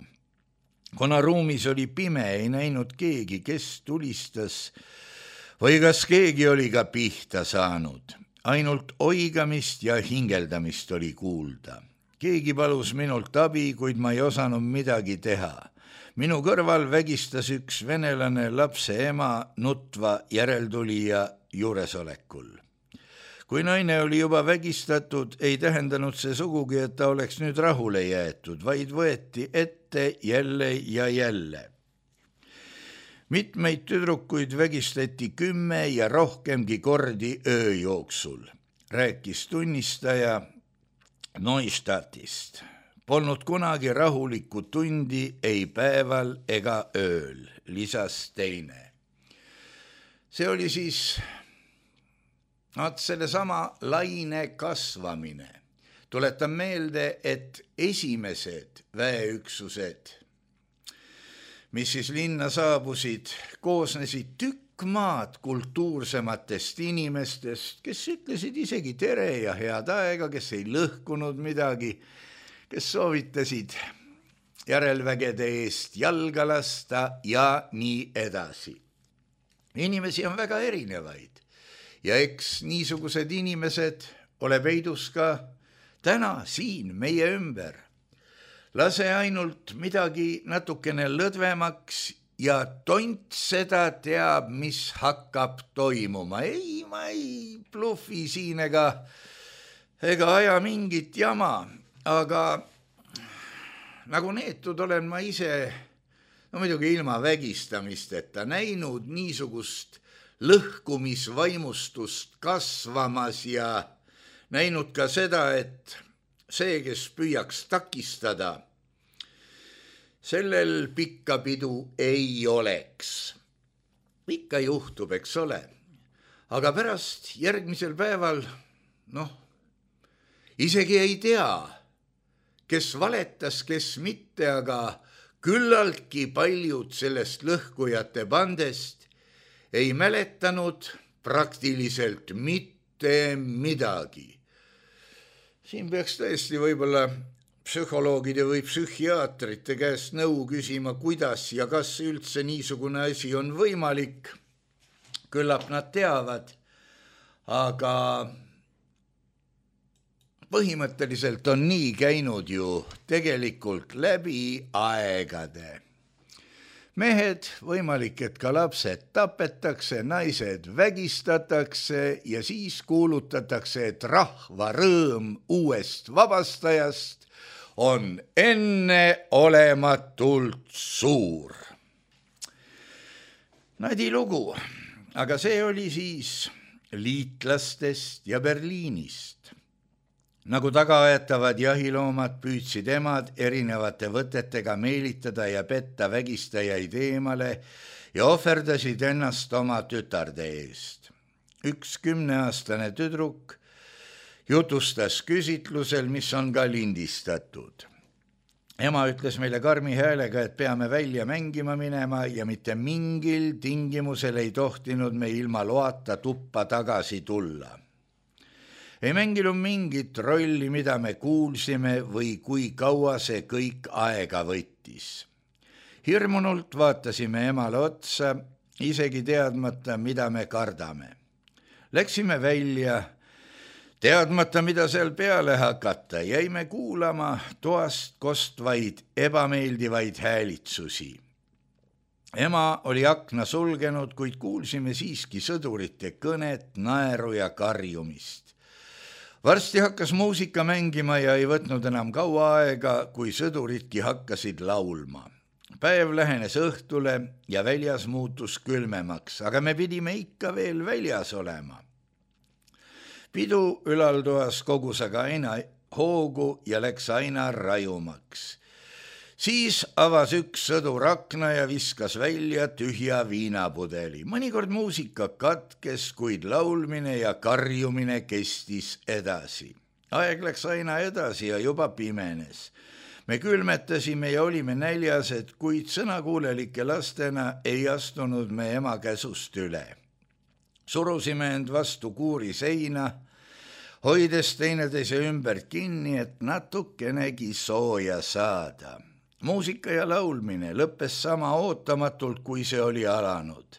Kuna ruumis oli pime, ei näinud keegi, kes tulistas või kas keegi oli ka pihta saanud. Ainult oigamist ja hingeldamist oli kuulda. Keegi palus minult abi, kuid ma ei osanud midagi teha. Minu kõrval vägistas üks venelane lapse ema nutva järeltulija juuresolekul. Kui naine oli juba vägistatud, ei tähendanud see sugugi, et ta oleks nüüd rahule jäetud, vaid võeti ette jälle ja jälle. Mitmeid tüdrukuid vägistati kümme ja rohkemgi kordi öö jooksul, rääkis tunnistaja Neustadtist. Polnud kunagi rahulikku tundi ei päeval ega ööl, lisas teine. See oli siis sellesama laine kasvamine. Tuletan meelde, et esimesed väeüksused, mis siis linna saabusid, koosnesid tükk maad kultuursematest inimestest, kes ütlesid isegi tere ja head aega, kes ei lõhkunud midagi, kes soovitasid järelvägede eest jalga lasta ja nii edasi. Inimesi on väga erinevaid ja eks niisugused inimesed ole peidus ka täna siin meie ümber. Lase ainult midagi natukene lõdvemaks ja tont seda teab, mis hakkab toimuma. Ei, ma ei bluffi siin ega, ega aja mingit jama, aga nagu neetud olen ma ise, no muidugi ilma vägistamisteta, näinud niisugust lõhkumisvaimustust kasvamas ja näinud ka seda, et see, kes püüaks takistada, sellel pikka pidu ei oleks. Ikka juhtub, eks ole. Aga pärast järgmisel päeval, noh, isegi ei tea, kes valetas, kes mitte, aga küllaltki paljud sellest lõhkujate bandest ei mäletanud praktiliselt mitte midagi. Siin peaks tõesti võib-olla psühholoogide või psühhiaatrite käest nõu küsima, kuidas ja kas üldse niisugune asi on võimalik. Küllap nad teavad, aga põhimõtteliselt on nii käinud ju tegelikult läbi aegade. Mehed, võimalik, et ka lapsed tapetakse, naised vägistatakse ja siis kuulutatakse, et rahva rõõm uuest vabastajast on enneolematult suur. Nadi lugu, aga see oli siis liitlastest ja Berliinist. Nagu tagaaetavad jahiloomad püüdsid emad erinevate võtetega meelitada ja petta vägistajaid eemale ja ohverdasid ennast oma tütarde eest. Üks kümneaastane tüdruk jutustas küsitlusel, mis on ka lindistatud. Ema ütles meile karmi häälega, et peame välja mängima minema ja mitte mingil tingimusel ei tohtinud me ilma loata tuppa tagasi tulla. Ei mänginud mingit rolli, mida me kuulsime või kui kaua see kõik aega võttis. Hirmunult vaatasime emale otsa, isegi teadmata, mida me kardame. Läksime välja, Teadmata, mida seal peale hakata, jäime kuulama toast kostvaid ebameeldivaid häälitsusi. Ema oli akna sulgenud, kuid kuulsime siiski sõdurite kõnet, naeru ja karjumist. Varsti hakkas muusika mängima ja ei võtnud enam kaua aega, kui sõduritki hakkasid laulma. Päev lähenes õhtule ja väljas muutus külmemaks, aga me pidime ikka veel väljas olema. Pidu ülaltoas kogus aga aina hoogu ja läks aina rajumaks. Siis avas üks sõdur akna ja viskas välja tühja viinapudeli. Mõnikord muusika katkes, kuid laulmine ja karjumine kestis edasi. Aeg läks aina edasi ja juba pimenes. Me külmetasime ja olime näljased, kuid sõnakuulelike lastena ei astunud me ema käsust üle. Surusime end vastu kuuri seina, hoides teineteise ümber kinni, et natukenegi sooja saada. Muusika ja laulmine lõppes sama ootamatult, kui see oli alanud.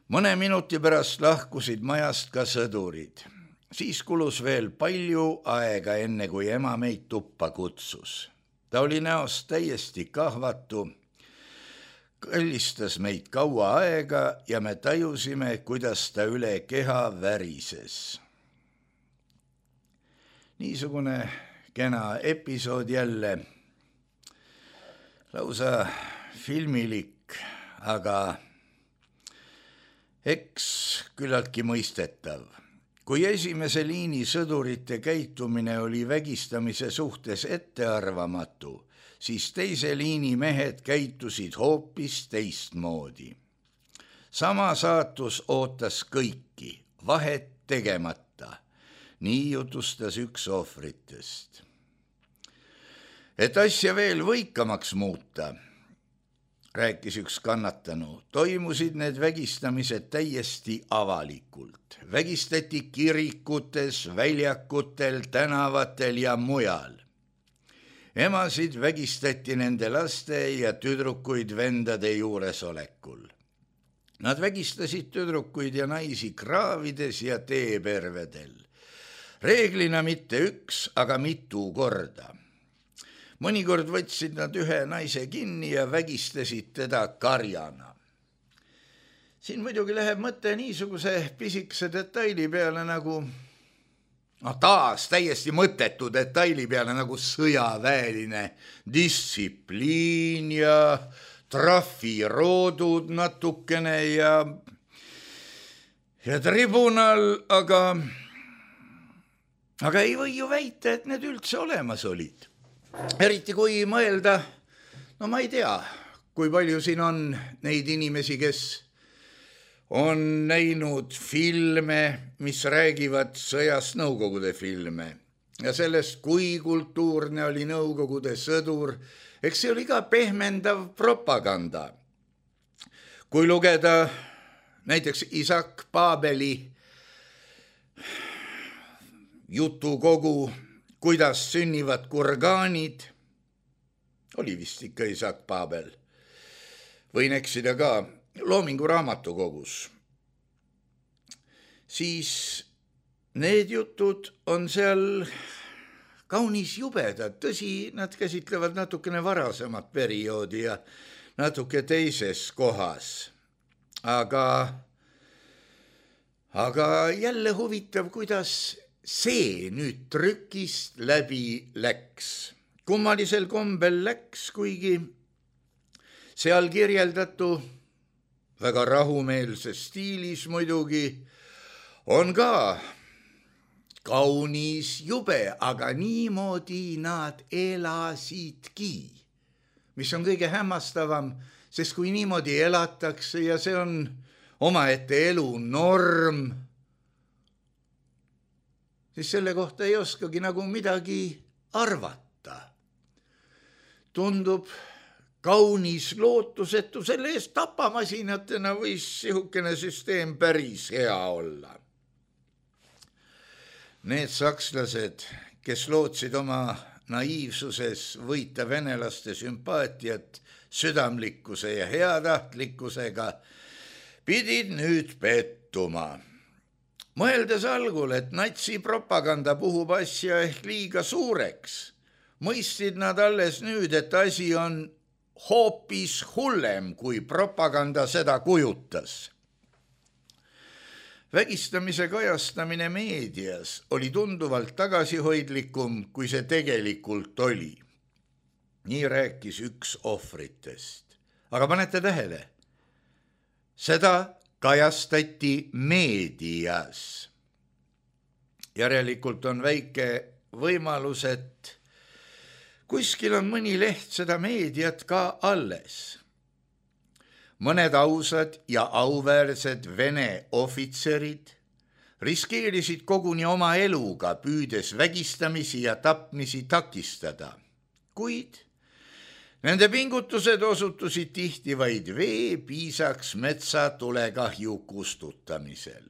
Mõne minuti pärast lahkusid majast ka sõdurid. Siis kulus veel palju aega, enne kui ema meid tuppa kutsus. Ta oli näost täiesti kahvatu, kallistas meid kaua aega ja me tajusime, kuidas ta üle keha värises. Niisugune kena episood jälle. Lausa filmilik, aga eks küllaltki mõistetav. Kui esimese liini sõdurite käitumine oli vägistamise suhtes ettearvamatu, siis teise liini mehed käitusid hoopis teistmoodi. Sama saatus ootas kõiki, vahet tegemata. Nii jutustas üks ohvritest. Et asja veel võikamaks muuta, rääkis üks kannatanu, toimusid need vägistamised täiesti avalikult. Vägistati kirikutes, väljakutel, tänavatel ja mujal. Emasid vägistati nende laste ja tüdrukuid vendade juuresolekul. Nad vägistasid tüdrukuid ja naisi kraavides ja teepervedel. Reeglina mitte üks, aga mitu korda. Mõnikord võtsid nad ühe naise kinni ja vägistasid teda karjana. Siin muidugi läheb mõte niisuguse pisikese detaili peale nagu, no taas täiesti mõttetu detaili peale nagu sõjaväeline distsipliin ja trafiroodud natukene ja, ja tribunal, aga, aga ei või ju väita, et need üldse olemas olid. Eriti kui mõelda, no ma ei tea, kui palju siin on neid inimesi, kes on näinud filme, mis räägivad sõjast, Nõukogude filme ja sellest, kui kultuurne oli Nõukogude sõdur, eks see oli ka pehmendav propaganda. Kui lugeda näiteks Isak Paabeli jutukogu Kuidas sünnivad kurgaanid, oli vist ikka Isak Paabel, võin eksida ka, Loomingu raamatukogus, siis need jutud on seal kaunis jubedad. Tõsi, nad käsitlevad natukene varasemat perioodi ja natuke teises kohas, aga, aga jälle huvitav, kuidas see nüüd trükist läbi läks. Kummalisel kombel läks, kuigi seal kirjeldatu väga rahumeelses stiilis muidugi on ka kaunis jube, aga niimoodi nad elasidki, mis on kõige hämmastavam, sest kui niimoodi elatakse ja see on omaette elu norm, siis selle kohta ei oskagi nagu midagi arvata. Tundub kaunis lootusetu, selle eest tapamasinatena võis sihukene süsteem päris hea olla. Need sakslased, kes lootsid oma naiivsuses võita venelaste sümpaatiat südamlikkuse ja heatahtlikkusega, pidid nüüd pettuma. Mõeldes algul, et natsi propaganda puhub asja ehk liiga suureks, mõistsid nad alles nüüd, et asi on hoopis hullem, kui propaganda seda kujutas. Vägistamise kajastamine meedias oli tunduvalt tagasihoidlikum, kui see tegelikult oli. Nii rääkis üks ohvritest. Aga panete tähele, seda kajastati meedias. Järelikult on väike võimalus, et kuskil on mõni leht seda meediat ka alles. Mõned ausad ja auväärsed Vene ohvitserid riskeerisid koguni oma eluga, püüdes vägistamisi ja tapmisi takistada, kuid nende pingutused osutusid tihti vaid veepiisaks metsatulekahju kustutamisel.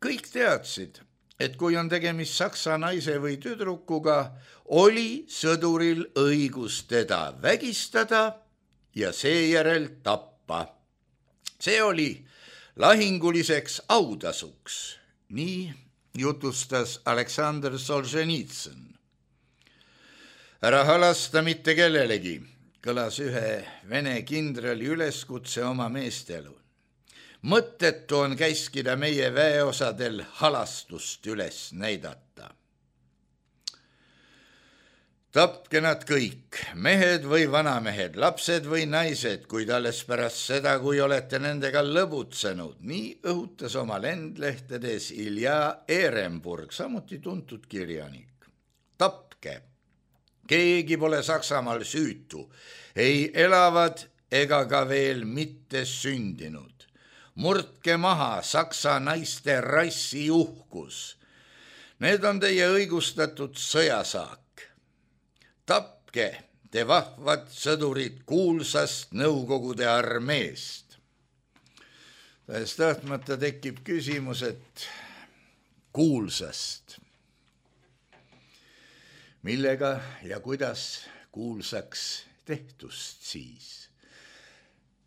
Kõik teadsid, et kui on tegemist saksa naise või tüdrukuga, oli sõduril õigus teda vägistada ja seejärel tappa. See oli lahinguliseks autasuks, nii jutustas Aleksandr Solženitsõn. Ära halasta mitte kellelegi, kõlas ühe Vene kindrali üleskutse oma meestelu. Mõttetu on käskida meie väeosadel halastust üles näidata. Tapke nad kõik, mehed või vanamehed, lapsed või naised, kuid alles pärast seda, kui olete nendega lõbutsenud, nii õhutas oma lendlehtedes Ilja Ehrenburg, samuti tuntud kirjanik. Tapke. Keegi pole Saksamaal süütu, ei elavad ega ka veel mitte sündinud. Murdke maha saksa naiste rassi uhkus. Need on teie õigustatud sõjasaak. Tapke te vahvad sõdurid kuulsast Nõukogude armeest. Tähes tahtmata tekib küsimus, et kuulsast. Millega ja kuidas kuulsaks tehtust siis?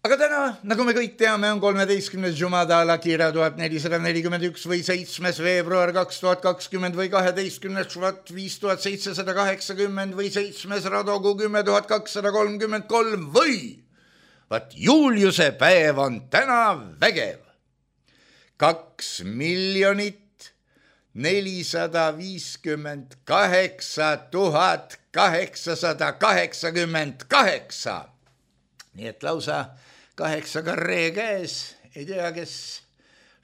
Aga täna, nagu me kõik teame, on kolmeteistkümnes Jumada Alakira tuhat nelisada nelikümmend üks või seitsmes veebruar kaks tuhat kakskümmend või kaheteistkümnes Švat viis tuhat seitsesada kaheksakümmend või seitsmes Radogu kümme tuhat kakssada kolmkümmend kolm või vaat Juliuse päev on täna vägev. Kaks miljonit nelisada viiskümmend kaheksa tuhat kaheksasada kaheksakümmend kaheksa. Nii et lausa kaheksa karree käes, ei tea, kes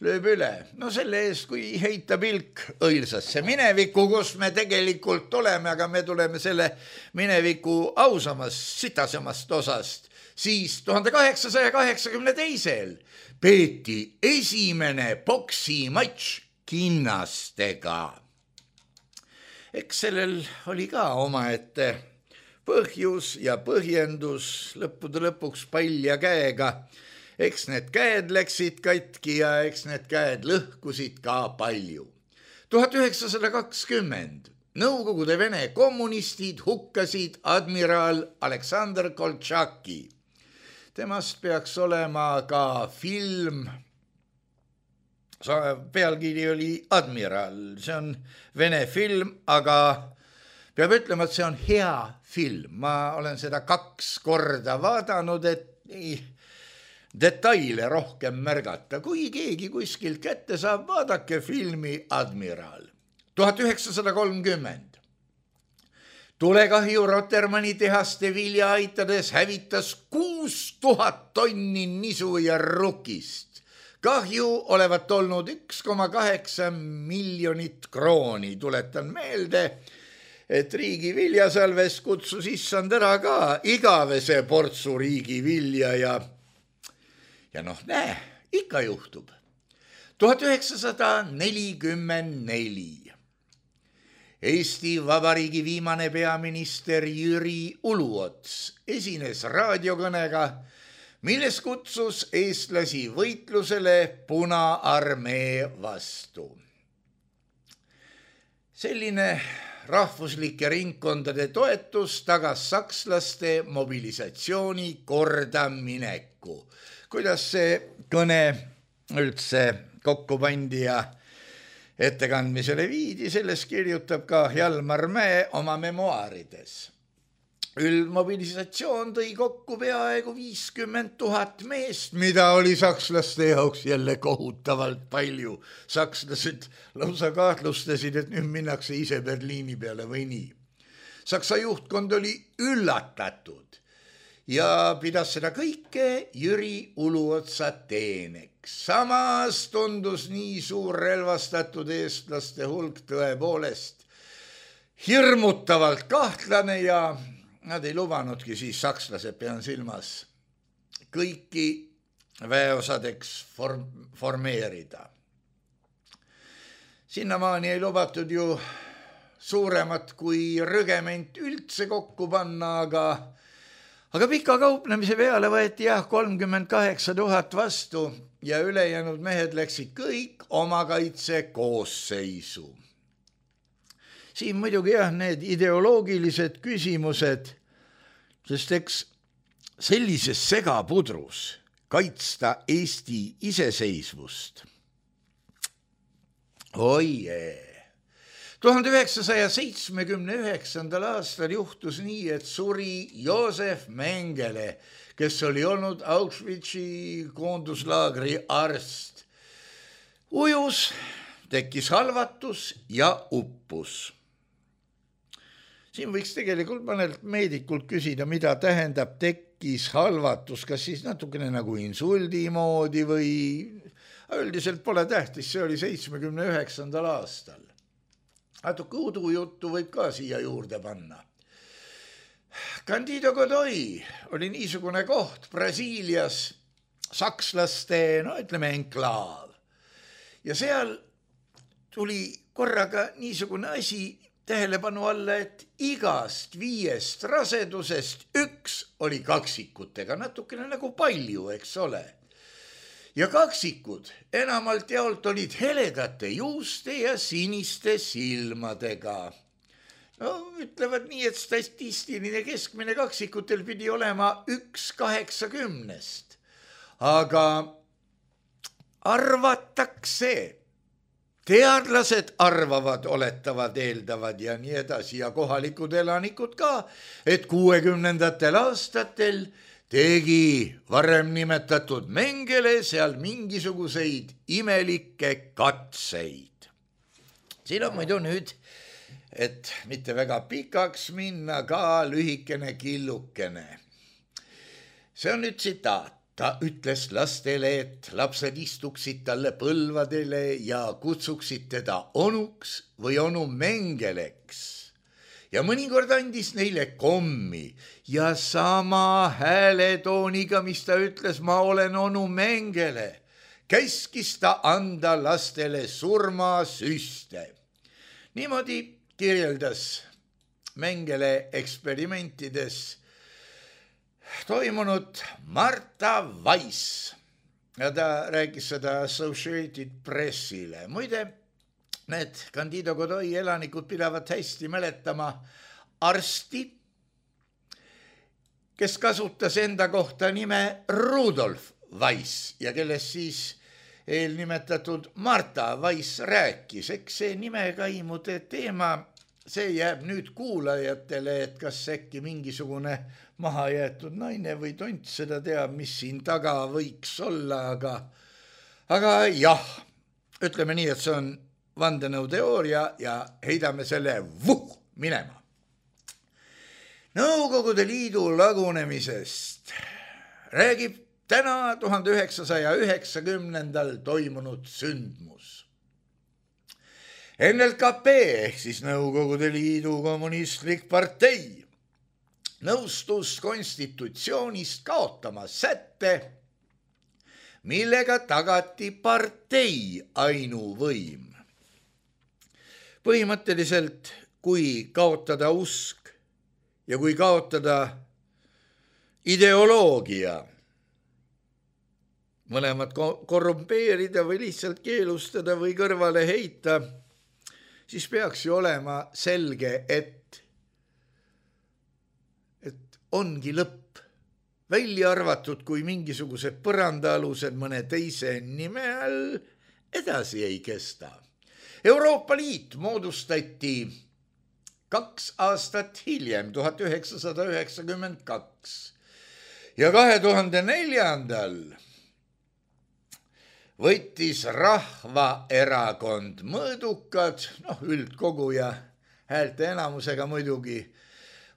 lööb üle. No selle eest, kui heita pilk õilsasse minevikku, kus me tegelikult oleme, aga me tuleme selle mineviku ausamast, sitasemast osast, siis tuhande kaheksasaja kaheksakümne teisel peeti esimene poksimatš kinnastega. Eks sellel oli ka omaette põhjus ja põhjendus, lõppude lõpuks palja käega. Eks need käed läksid katki ja eks need käed lõhkusid ka palju. tuhat üheksasada kakskümmend Nõukogude Vene kommunistid hukkasid admiral Aleksandr Koltšaki. Temast peaks olema ka film. Pealkiri oli Admiral, see on Vene film, aga peab ütlema, et see on hea film. Ma olen seda kaks korda vaadanud, et ei detaile rohkem märgata. Kui keegi kuskilt kätte saab, vaadake filmi Admiral. tuhat üheksasada kolmkümmend Tulekahju Rotermanni tehaste vilja aitades hävitas kuus tuhat tonni nisu ja rukist. Kahju olevat olnud üks koma kaheksa miljonit krooni. Tuletan meelde, et riigi viljasalves kutsus issand ära ka igavese portsu riigi vilja ja, ja noh, näe, ikka juhtub. tuhat üheksasada nelikümmend neli Eesti Vabariigi viimane peaminister Jüri Uluots esines raadiokõnega, milles kutsus eestlasi võitlusele Punaarmee vastu. Selline rahvuslike ringkondade toetus tagas sakslaste mobilisatsiooni kordamineku. Kuidas see kõne üldse kokku pandi ja ettekandmisele viidi, sellest kirjutab ka Hjalmar Mäe oma memuaarides. Üldmobilisatsioon tõi kokku peaaegu viiskümmend tuhat meest, mida oli sakslaste jaoks jälle kohutavalt palju. Sakslased lausa kahtlustasid, et nüüd minnakse ise Berliini peale või nii. Saksa juhtkond oli üllatatud ja pidas seda kõike Jüri Uluotsa teeneks. Samas tundus nii suur relvastatud eestlaste hulk tõepoolest hirmutavalt kahtlane ja nad ei lubanudki siis, sakslased pean silmas, kõiki väeosadeks form, formeerida. Sinnamaani ei lubatud ju suuremat kui rügement üldse kokku panna, aga, aga pika kauplemise peale võeti jah kolmkümmend kaheksa tuhat vastu ja ülejäänud mehed läksid kõik oma kaitse koosseisu. Siin muidugi jah, need ideoloogilised küsimused, sest eks sellises segapudrus kaitsta Eesti iseseisvust. Oie! tuhande üheksasaja seitsmekümne üheksandal aastal juhtus nii, et suri Joosef Mengele, kes oli olnud Auschwitzi koonduslaagri arst. Ujus, tekkis halvatus ja uppus. Siin võiks tegelikult mõnelt meedikult küsida, mida tähendab tekkis halvatus, kas siis natukene nagu insuldi moodi või üldiselt pole tähtis, see oli seitsmekümne üheksandal aastal. Natuke udujuttu võib ka siia juurde panna. Candido Godoy oli niisugune koht Brasiilias, sakslaste, no ütleme enklaav. Ja seal tuli korraga niisugune asi tähelepanu alla, et igast viiest rasedusest üks oli kaksikutega, natukene nagu palju, eks ole. Ja kaksikud enamalt jaolt olid heledate juuste ja siniste silmadega. No, ütlevad nii, et statistiline keskmine kaksikutel pidi olema üks kaheksakümnest. Aga arvatakse, teadlased arvavad, oletavad, eeldavad ja nii edasi ja kohalikud elanikud ka, et kuuekümnendatel aastatel tegi varem nimetatud Mengele seal mingisuguseid imelikke katseid. Siin on muidu nüüd, et mitte väga pikaks minna, ka lühikene killukene. See on nüüd tsitaat. Ta ütles lastele, et lapsed istuksid talle põlvadele ja kutsuksid teda onuks või onu Mengeleks. Ja mõnikord andis neile kommi ja sama hääletooniga, mis ta ütles, ma olen onu Mengele, käskis ta anda lastele surmasüste. Niimoodi kirjeldas Mengele eksperimentides toimunud Marta Weiss ja ta rääkis seda Associated Pressile. Muide, need Candido Godoy elanikud pidavad hästi mäletama arsti, kes kasutas enda kohta nime Rudolf Weiss ja kellest siis eelnimetatud Marta Weiss rääkis. Eks see nimekaimude teema, see jääb nüüd kuulajatele, et kas äkki mingisugune mahajäetud naine või tont seda teab, mis siin taga võiks olla, aga, aga jah, ütleme nii, et see on vandenõuteooria ja heidame selle vuh minema. Nõukogude Liidu lagunemisest räägib täna tuhande üheksasaja üheksakümnendal toimunud sündmus. N L K P ehk siis Nõukogude Liidu kommunistlik partei nõustus konstitutsioonist kaotama sätte, millega tagati partei ainuvõim. Põhimõtteliselt, kui kaotada usk ja kui kaotada ideoloogia, mõlemad korrumpeerida või lihtsalt keelustada või kõrvale heita, siis peaks ju olema selge, et, et ongi lõpp välja arvatud, kui mingisugused põrandaalused mõne teise nime all edasi ei kesta. Euroopa Liit moodustati kaks aastat hiljem, tuhat üheksasada üheksakümmend kaks ja kahe tuhande neljandal võttis Rahvaerakond mõõdukad, noh üldkogu ja häälte enamusega muidugi,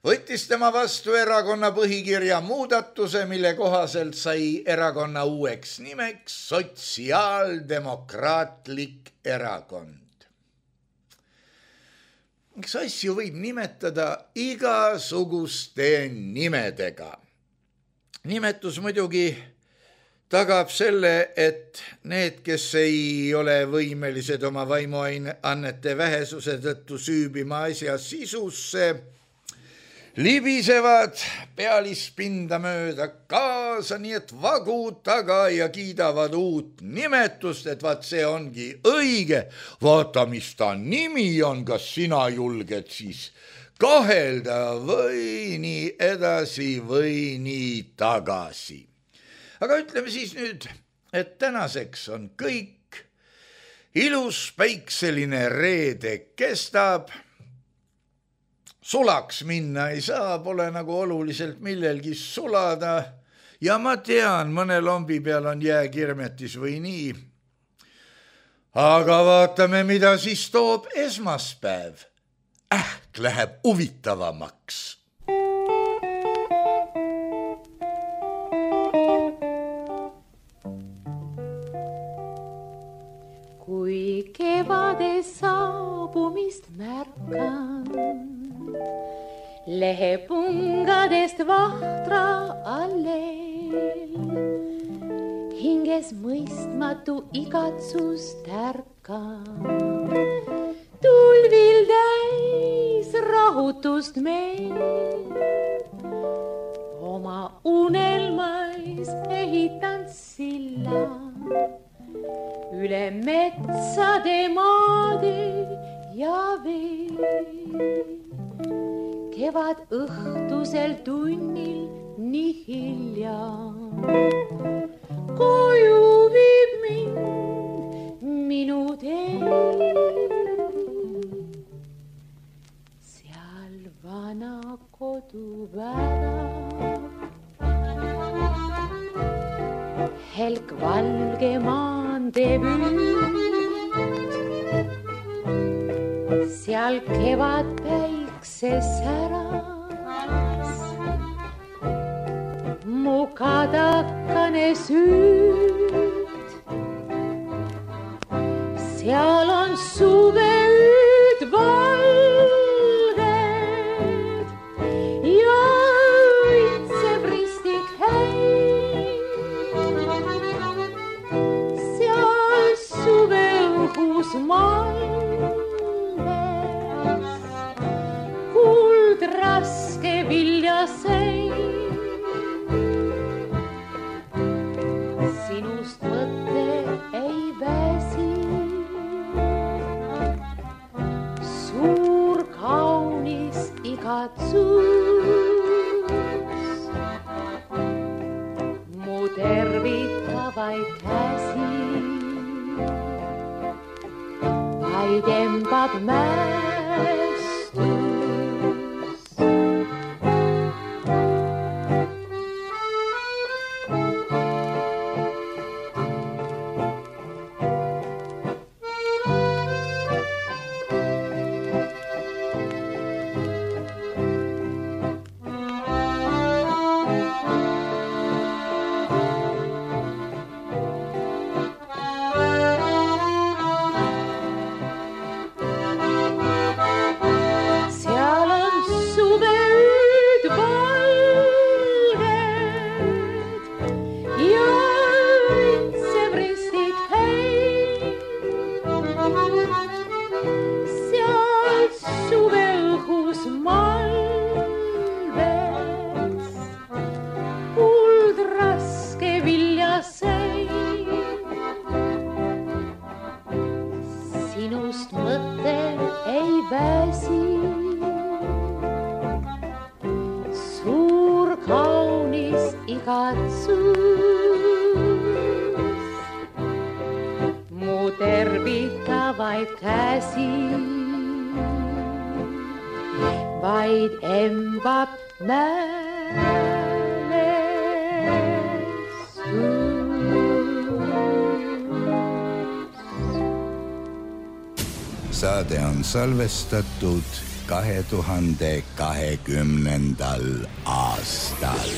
võttis tema vastu erakonna põhikirja muudatuse, mille kohaselt sai erakonna uueks nimeks Sotsiaaldemokraatlik Erakond. Eks asju võib nimetada igasuguste nimedega. Nimetus muidugi tagab selle, et need, kes ei ole võimelised oma vaimuannete vähesuse tõttu süübima asja sisusse, libisevad pealispinda mööda kaasa, nii et vagu taga ja kiidavad uut nimetust, et vaat see ongi õige. Vaata, mis ta nimi on, kas sina julged siis kahelda või nii edasi või nii tagasi. Aga ütleme siis nüüd, et tänaseks on kõik, ilus päikseline reede kestab, sulaks minna ei saa, pole nagu oluliselt millelgi sulada ja ma tean, mõne lombi peal on jääkirmetis või nii. Aga vaatame, mida siis toob esmaspäev. Ähk läheb huvitavamaks. Kui kevade saabumist märkan, lehepungadest vahtra alleel, hinges mõistmatu igatsus tärkan, tulvil täis rahutust meil, oma unelmais ehitan silla üle metsade, maade ja vee. Kevad õhtusel tunnil nii hilja koju viib mind minu tee. Seal vana kodu värav, helk valge maantee püüd, seal kevad päikse säras, mu kadakane süüd, seal on suveüüd valged ja õitseb ristik häid. Seal suveõhus malles kuld raske viljaseid. Sinust mõte ei väsi, suur kaunis igatsus, mu tervitavaid käsi vaid embab mäestus. katsus mu tervitavaid käsi, vaid embab saade on salvestatud kahe tuhande kahekümnendal aastal.